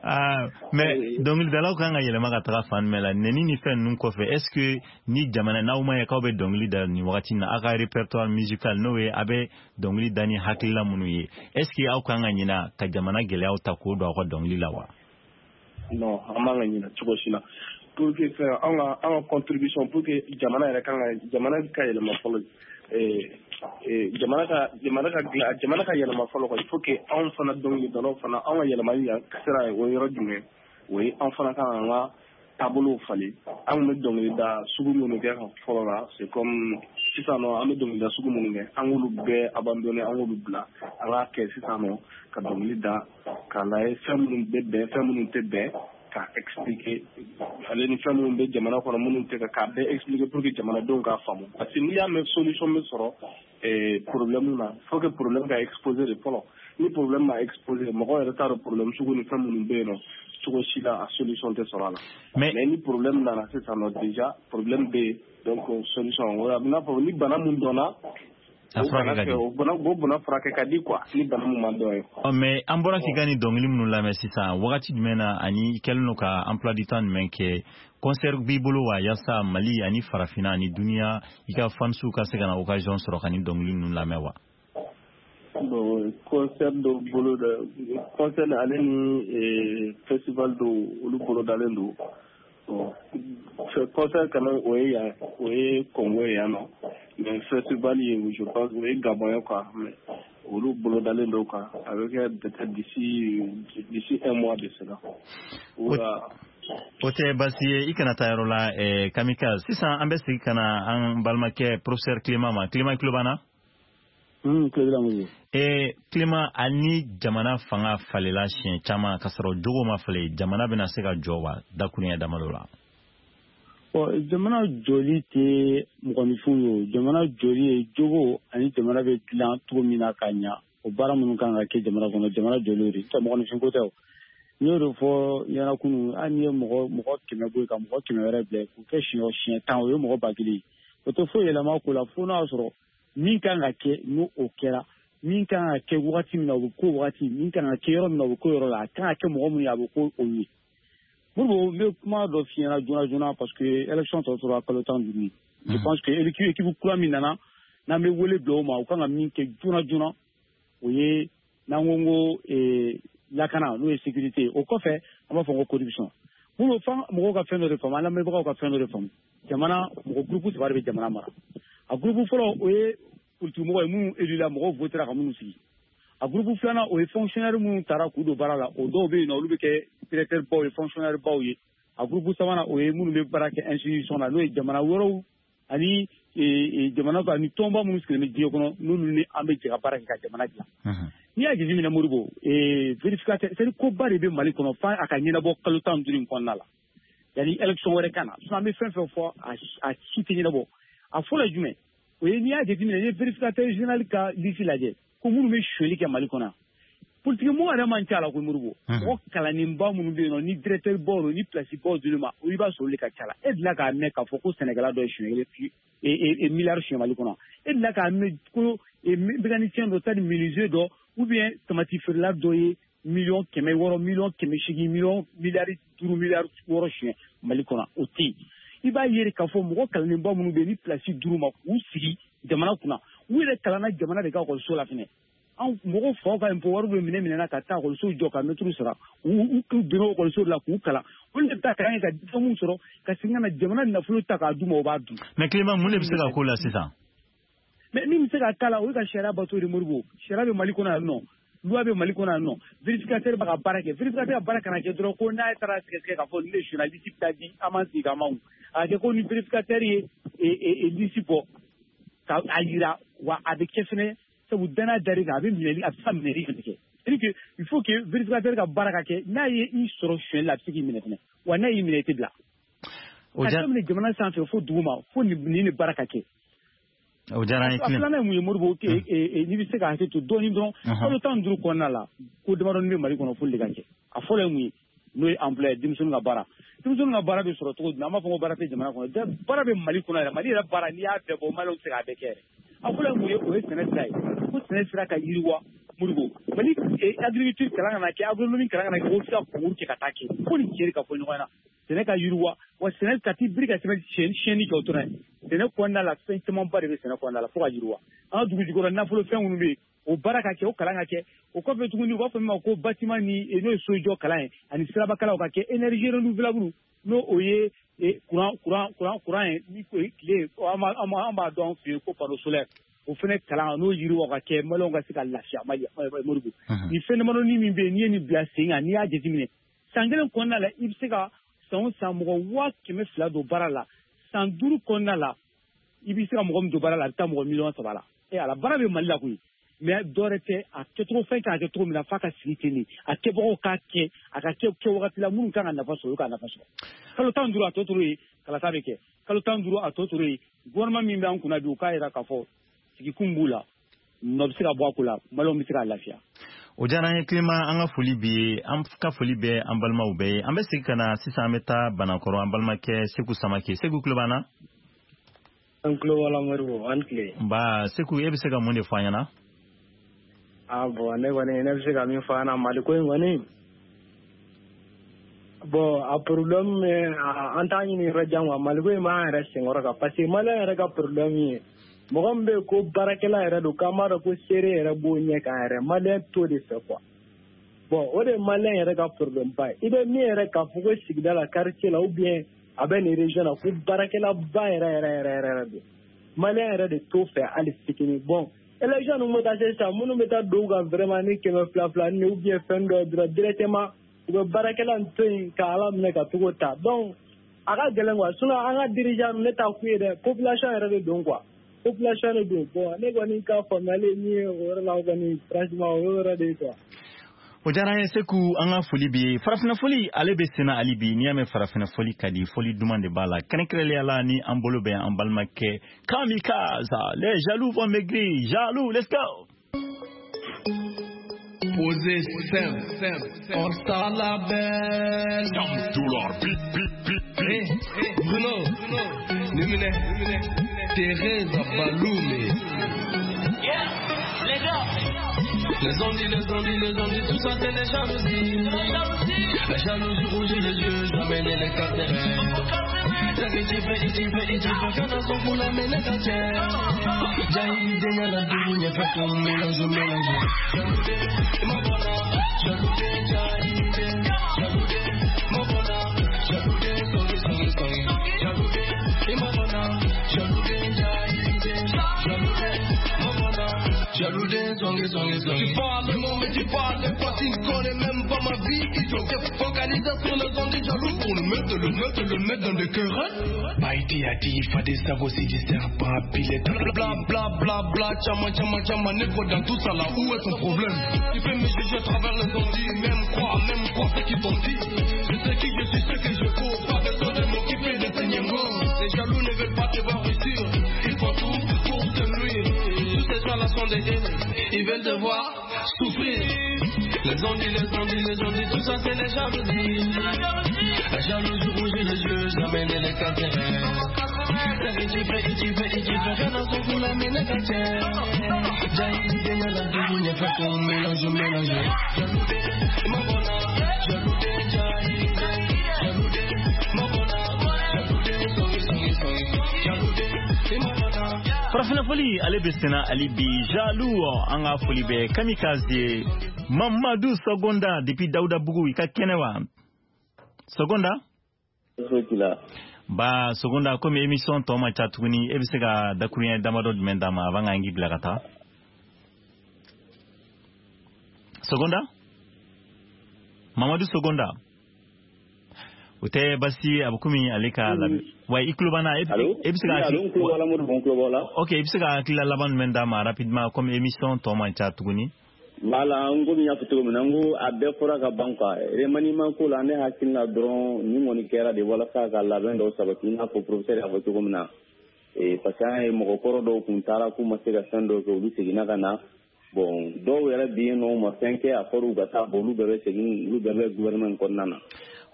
ah mais dɔnkilidalaw kan ka yɛlɛma ka taga fan jumɛn la nɛni ni fɛn ninnu kɔfɛ est ce que ni jamana n'aw ma ye k'aw bɛ dɔnkili da nin wagati in na aw ka répertoire musical n'o ye a bɛ dɔnkili da ni hakilila minnu ye est ce que aw kan ka ɲina ka jamana gɛlɛyaw ta k'o don aw ka dɔnkili la wa non an man ka ɲina cogo si la pour que an ka contribution pour que jamana yɛrɛ kan ka jamana ka yɛlɛma fɔlɔ jamana ka yɛlɛma fɔlɔ quoi il faut que anw fana dɔnkilidalaw fana anw ka yɛlɛmali sira ye o yɔrɔ jumɛn o ye an fana kan k'an ka taabolow falen an kun bɛ dɔnkilida sugu minnu kɛ fɔlɔ la c'est comme sisan nɔ an bɛ dɔnkilida sugu minnu kɛ an k'olu bɛɛ abandonné an k'olu bila an k'a kɛ sisan nɔ ka dɔnkili da k'a lajɛ fɛn minnu bɛ bɛn fɛn minnu tɛ bɛn k'a expliquer ale ni fɛn minnu bɛ jamana kɔnɔ minnu tɛ k'a bɛɛ expliquer pour que jamanadenw k'a faamu parce que n'i y'a mɛn solution bɛ sɔrɔ problème na faut que problème ka exposer de fɔlɔ ni problème ma exposer mɔgɔ yɛrɛ t'a dɔn problème sugu ni fɛn minnu bɛ yen nɔ cogo si la a solution tɛ sɔrɔ a la mais ni problème nana sisan nɔ déjà problème bɛ yen donc solution o a bɛ n'a fɔ ni bana mun dɔnna o bana furakɛ ka di quoi ni bana mun ma dɔn ye. Ɔ mais an bɔra k'i ka nin dɔnkili minnu lamɛn sisan wagati jumɛn na ani i kɛlen don ka emploi du temps jumɛn kɛ concert b'i bolo wa yaasa Mali ani farafinna ani duniya i ka fansiw ka se ka na occasion sɔrɔ ka nin dɔnkili ninnu lamɛn wa. Bon concert dɔw bolo da concert ale ni festival dɔw olu bolo dalen don bon concert quand même o ye yan o ye Congo ye yan nɔ mais festival ye je pense o ye Gabon ye quoi mais olu bolo dalen don quoi a bɛ kɛ peut-être d'ici un mois de cela. O tɛ baasi ye i kana taa yɔrɔ la Kamikaze sisan an bɛ segin ka na an balimakɛ professeur Clément ma Clément i tulo b'an na. Clément, ani jamana fanga falela siɲɛ caman ka sɔrɔ jogo ma falen, jamana bɛna se ka jɔ wa dakuruɲɛ damadɔ la? Bon, jamana jɔli tɛ mɔgɔninfin ye o. Jamana jɔli ye jogo ani jamana bɛ dilan cogo min na ka ɲa, o baara minnu kan ka kɛ jamana kɔnɔ, jamana jɔli o de tɛ mɔgɔninfin ko tɛ o. N y'o de fɔ ɲɛna kunun, hali n'i ye mɔgɔ 100 bɔ yen ka mɔgɔ 100 wɛrɛ bila k'u kɛ siɲɛ 10, o ye mɔgɔ 1000 ye. O tɛ foyi yɛlɛma ko la fo n'a y'a sɔrɔ min kan ka kɛ n'o o kɛra, min kan ka kɛ wagati min na o bɛ k'o wagati, min kan ka kɛ yɔrɔ min na o bɛ k'o yɔrɔ la, a kan ka kɛ mɔgɔ minnu ye a bɛ k'o o ye. Modibo, n bɛ kuma dɔ f'i ɲɛna joona joona parce que élection tɔ tora kalo 15 ye. Je pense que équipe kura min nana, n'an bɛ wele bila o ma, u kan ka min kɛ joona joona, o ye n'an ko lakana, n'o ye sécurité. O kɔfɛ an b'a fɔ ko corruption. Modibo, f'an mɔgɔw ka fɛn dɔ de faamu, an lamɛnbagaw ka fɛn dɔ de faamu. Jamana mɔgɔ groupe 3 de bɛ jamana mara. A groupe fɔlɔ, o ye politique mɔgɔ ye minnu élu la, mɔgɔw votera ka minnu sigi. A groupe filanan, o ye fonctionnaire minnu taara k'u don baara la, o dɔw bɛ yen nɔ, olu bɛ kɛ directeur baw ye, fonctionnaire baw ye. A groupe sabanan, o ye minnu bɛ baara kɛ institution na, n'o ye jamana wɛrɛw ani jamana ani tɔnba minnu sigilen bɛ diɲɛ kɔnɔ, n'olu ni an bɛ jɛ ka baara kɛ ka jamana dilan. N'i y'a jateminɛ Modibo, vérificateur, c'est à dire koba de bɛ Mali kɔnɔ f'a a ka ɲɛnabɔ kalo 15 in kɔnɔna la yanni élection wɛrɛ ka na. Sinon an bɛ fɛn fɛn fɔ, a si tɛ ɲɛnabɔ. A fɔlɔ ye jumɛn? O ye n'i y'a jateminɛ, n'i ye vérificateur général ka liste lajɛ ko minnu bɛ sonyali kɛ Mali kɔnɔ yan, politique mɔgɔ yɛrɛ man ca la koyi Modibo. Mɔgɔ kalannenba minnu bɛ yen nɔ, ni directeur baw don, ni place baw dir'u ma, i b'a sɔrɔ olu de ka ca la. E delila k'a mɛn k'a fɔ ko sɛnɛkɛla dɔ ye siɲɛ kelen miliyari suɲɛ Mali kɔnɔ? E delila k'a mɛn ko mécanicien dɔ, c'est-à-dire menuisier dɔ, ou bien tamati feerela dɔ ye 600 miliyɔn, 800 miliyɔn, 5 miliyari, 6 miliyari suɲɛ Mali kɔnɔ? O tɛ yen. I b'a ye k'a fɔ mɔgɔ kalannenba minnu bɛ yen ni place dir'u ma k'u sigi jamana kunna, u yɛrɛ kalanna jamana de ka ekɔliso la fɛnɛ. An mɔgɔw faw ka impôt wari bɛ minɛ minɛna ka taa ekɔliso jɔ ka mɛtiriw sara, u donna ekɔliso la k'u kalan, olu de bɛ taa kalan kɛ ka diplôme sɔrɔ ka segin ka na jamana nafolo ta k'a d'u ma, o b'a dun. Mais Clément, mun de bɛ se ka k'o la sisan? Mais min bɛ se ka k'a la, o ye ka sariya bato de Modibo. Sariya bɛ Mali kɔnɔ yan nɔ, loi bɛ Mali kɔnɔ yan nɔ, vérificateur b'a ka baara kɛ. Vérificateur ka baara kana kɛ dɔrɔn ko n'a taara sɛgɛsɛgɛ k'a fɔ nin de sonyɛna, liste bɛ taa di, an b'an sigi k'an makun. A ka kɛ ko ni vérificateur ye liste bɔ ka a yira, wa a bɛ kɛ fɛnɛ sabu danaya dar'i kan, a bɛ minɛli, a bɛ se ka minɛli fɛnɛ kɛ. C'est-à-dire que il faut que vérificateur ka baara ka kɛ, n'a ye i sɔrɔ sonyɛli la, a bɛ se k'i minɛ fɛnɛ, wa n'a y'i minɛ, i tɛ bila. Ka daminɛ jamana sanfɛ fo dugu ma, fo nin de baara ka kɛ. O diyara an ye. A filanan ye mun ye Modibo? N'i bɛ se ka hakɛ to dɔɔnin dɔrɔn, kalo 15 kɔnɔna la, ko damadɔni bɛ Mali kɔnɔ f'olu de ka kɛ. A fɔlɔ ye mun ye? N'o ye emploi ye, denmisɛnninw ka baara. Denmisɛnninw ka baara bɛ sɔrɔ cogo jumɛn? An b'a fɔ ko baara tɛ jamana kɔnɔ. Baara bɛ Mali kɔnɔ yɛrɛ. Mali yɛrɛ baara, n'i y'a bɛɛ bɔ, Maliyɛnw tɛ se k'a bɛɛ kɛ yɛrɛ. A fɔlɔ ye mun ye? O ye sɛnɛ sira ye, ko sɛnɛ sira ka yiriwa Modibo. Mali agriculture kalan kana kɛ, agronomie kalan kana kɛ, ko f'i ka concours kɛ ka taa kɛ. Ko nin tiɲɛ de ka fɔ ɲɔgɔn ɲɛna. Sɛnɛ ka yiriwa, wa sɛnɛ ka t'i biri ka tɛmɛ siyɛnni kɛ o dɔrɔn ye. Sɛnɛ kɔnɔna la, fɛn camanba de bɛ sɛnɛ kɔnɔna la fo ka yiriwa. An ka dugu jukɔrɔ nafolo fɛn minnu bɛ yen, o baara ka kɛ, o kalan ka kɛ. O kɔfɛ tuguni, u b'a fɔ min ma ko bâtiment ni n'o ye sojɔ kalan ye ani sirabakalaw ka kɛ, énergie renouvelable, n'o o ye courant ye ni tile, an b'a dɔn an fɛ yen ko panneau solaire, o fɛnɛ kalan n'o yiriwa ka kɛ, Maliyɛnw ka se ka lafiya. Mali Modibo, nin fɛn damadɔni min bɛ yen, n'i ye nin bila sen kan, n'i y'a jateminɛ san kelen kɔnɔna la, i bɛ se ka san o san mɔgɔ 200,000 don baara la. San 5 kɔnɔna la, i bɛ se ka mɔgɔ min don baara la, a bɛ taa mɔgɔ 3 miliyɔn la. E ala, baara bɛ Mali la koyi, mais dɔwɛrɛ tɛ, a kɛcogo fɛn kan ka kɛ cogo min na f'a ka sigi ten de, a kɛbagaw k'a kɛ, a ka kɛ kɛ wagati la, minnu kan ka nafa sɔrɔ, olu ka nafa sɔrɔ. Kalo 15 a tɔ tora yen, kalata bɛ kɛ. Kalo 15 a tɔ tora yen, gouvernement min bɛ an kunna bi, u k'a jira k'a fɔ sigikun b'u la, nɔ bɛ se ka bɔ a ko la, Maliyɛnw bɛ se ka lafiya. O diyara an ye Clément, an ka foli b'i ye, an ka foli bɛ an balimaw bɛɛ ye. An bɛ segin ka na sisan, an bɛ taa Banakɔrɔ, an balimakɛ Seku Samake. Seku, tulo b'an na? An tulo b'a la Modibo, an tile. Nba Seku, e bɛ se ka mun de fɔ an ɲɛna? Ah bon, ne kɔni, ne bɛ se ka min fɔ an na Mali ko in kɔni, bon, a problème, an t'a ɲini yɔrɔ jan quoi. Mali ko in b'an yɛrɛ senkɔrɔ kan, parce que Maliyɛn yɛrɛ ka problème ye mɔgɔ min bɛ yen ko baarakɛla yɛrɛ don, k'an b'a dɔn ko seere yɛrɛ b'o ɲɛ kan yɛrɛ, Maliyɛn t'o de fɛ quoi. Bon, o de ye Maliyɛn yɛrɛ ka problème ba ye. I bɛ min yɛrɛ k'a fɔ ko sigida la, quartier la, ou bien a bɛ nin région na, ko baarakɛlaba yɛrɛ yɛrɛ yɛrɛ yɛrɛ don, Maliyɛn yɛrɛ de t'o fɛ hali fitinin. Bon, élection ninnu bɛ taa se sisan, minnu bɛ taa don u kan vraiment ni kɛmɛ fila fila ni ou bien fɛn dɔ ye dɔrɔn, directement u bɛ baarakɛla in to yen ka Ala minɛ ka togo ta. Donc a ka gɛlɛn quoi. Sinon an ka dirigeant, ne t'a k'u ye dɛ, population yɛrɛ de don quoi. Population de don. Bon, ne kɔni ka faamuyali min ye o yɔrɔ la kɔni, franchement, o y'o yɔrɔ de ye quoi. O diyara an ye Seku, an ka foli b'i ye. Farafinna foli ale bɛ senna hali bi. N'i y'a mɛn farafinna foli ka di, foli duman de b'a la, kɛrɛnkɛrɛnnenya la ni an bolo bɛ an balimakɛ Kamikaze. Les jaloux vont maigrir, jaloux, let's go. Posé simple, on star la belle. Dollar, bip, bip, bip, bip. Bruno, Numine, Thérèse Baloumé. Yeah, les gars. Les envies, les envies, les envies, tout ça c'est les jalousies. La jalousie rougit les yeux, jamais les casserait. C'est que tu fais, tu fais, tu fais, quand on s'en fout la mène à tienne. Jaï, dénia la douille, fait ton mélange, mélange. Mon bonheur, jaloux, jaï, jaloux, mon bonheur, jaloux, sorry, sorry, sorry. Jaloux, et mon bonheur, jaloux, jaï, jaloux, mon bonheur. Jaloux des songs, songs, songs. Tu parles, mon mais tu parles pas, tu ne connais même pas ma vie. Ils sont focalisés sur les ondes des jaloux pour le mettre, le mettre, le mettre dans le cœur. Baïti a dit, il faut des sacs aussi, des serpents à piler. Bla bla bla bla, tchama tchama tchama, négro dans tout ça là, où est ton problème? Tu peux me juger à travers les ondes, même quoi, ce qu'ils t'ont dit. Je sais qui je suis, ce que je cours, pas besoin de m'occuper de tes niangos. Les jaloux ne veulent pas te voir réussir, ils font tout pour te nuire. Tous ces gens-là sont des haines, ils veulent te voir souffrir. Les envies, les envies, les envies, tout ça c'est les jalousies. La jalousie rougit les yeux, jamais ne les casserait. C'est que tu fais, tu fais, tu fais, rien dans son cou, la mine est tienne. Jaï, dénia la douille, fait ton mélange, mélange. Jaloux, mon bonheur, jaloux, jaï, jaloux, mon bonheur, jaloux, sorry, sorry, sorry. Jaloux, mon bonheur. Farafina foli ale bɛ senna hali bi. Jaloux, an ka foli bɛ Kamikaze ye. Mamadu Sogonda depuis Dawudabugu, i ka kɛnɛ wa Sogonda? Ba Sogonda, komi émission tɔ ma ca tuguni, e bɛ se ka dakuruɲɛ damadɔ jumɛn d'an ma avant k'an k'i bila ka taa? Sogonda, Mamadu Sogonda, o tɛ basi, a bɛ komi ale ka labɛn wa. I tulo b'an na? E bɛ se ka ok, i bɛ se ka hakilila laban jumɛn d'a ma rapidement, comme émission tɔ man ca tuguni? Voilà, n ko min y'a fɔ cogo min na, n ko a bɛɛ fɔra ka ban quoi. Remaniement ko la, ne hakili la dɔrɔn nin kɔni kɛra de walasa ka labɛn dɔw sabati, i n'a fɔ professeur y'a fɔ cogo min na. Parce que an ye mɔgɔkɔrɔ dɔw kun taara k'u ma se ka fɛn dɔw kɛ, olu seginna ka na. Bon, dɔw yɛrɛ bɛ yen nɔ, u ma fɛn kɛ, a fɔra u ka taa, bon olu bɛɛ bɛ segin, olu bɛɛ bɛ gouvernement kɔnɔna na.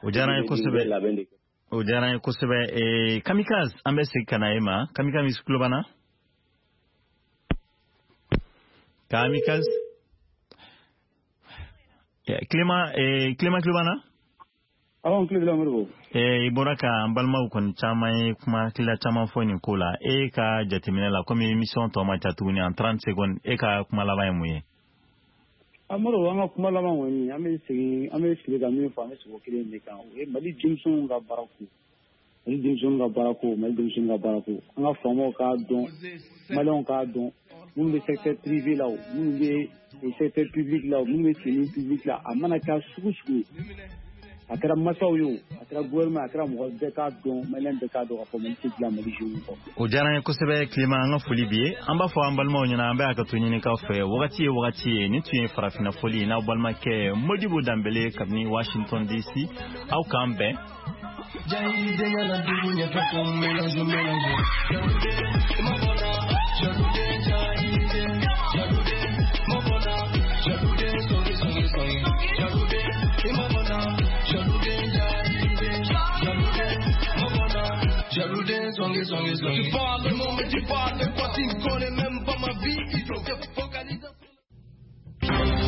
O diyara n ye kosɛbɛ. O diyara n ye kosɛbɛ. Kamikaze, an bɛ segin ka na e ma. Kamikaze tulo b'an na? Kamikaze. Clément, Clément tulo b'an na? Awɔ, n tulo b'i la Modibo. I bɔra ka an balimaw kɔni caman ye kuma hakilila caman fɔ nin ko la. E ka jateminɛ la, komi émission tɔ man ca tuguni, en 30 secondes, e ka kuma laban ye mun ye? Amadu, an ka kuma laban kɔni, an bɛ segin, an bɛ sigi ka min fɔ, an bɛ segin o kelen de kan. O ye Mali denmisɛnninw ka baara ko. Mali denmisɛnninw ka baara ko, Mali denmisɛnninw ka baara ko. An ka faamaw k'a dɔn, Maliyɛnw k'a dɔn, minnu bɛ secteur privé la o, minnu bɛ secteur public la o, minnu bɛ semi public la, a mana kɛ sugu sugu ye. A kɛra masaw ye o, a kɛra gouvernement, a kɛra mɔgɔ bɛɛ k'a dɔn, Maliyɛn bɛɛ k'a dɔn k'a fɔ Mali tɛ dilan Mali jeunes kɔ. O diyara n ye kosɛbɛ Clément, an ka foli b'i ye. An b'a fɔ an balimaw ɲɛna, an bɛ hakɛto ɲinikaw fɛ, wagati ye wagati ye. Nin tun ye farafinna foli ye n'aw balimakɛ Modibo Danbele kabini Washington DC. Aw k'an bɛn. Tu parles, mais tu parles quoi, tu ne connais même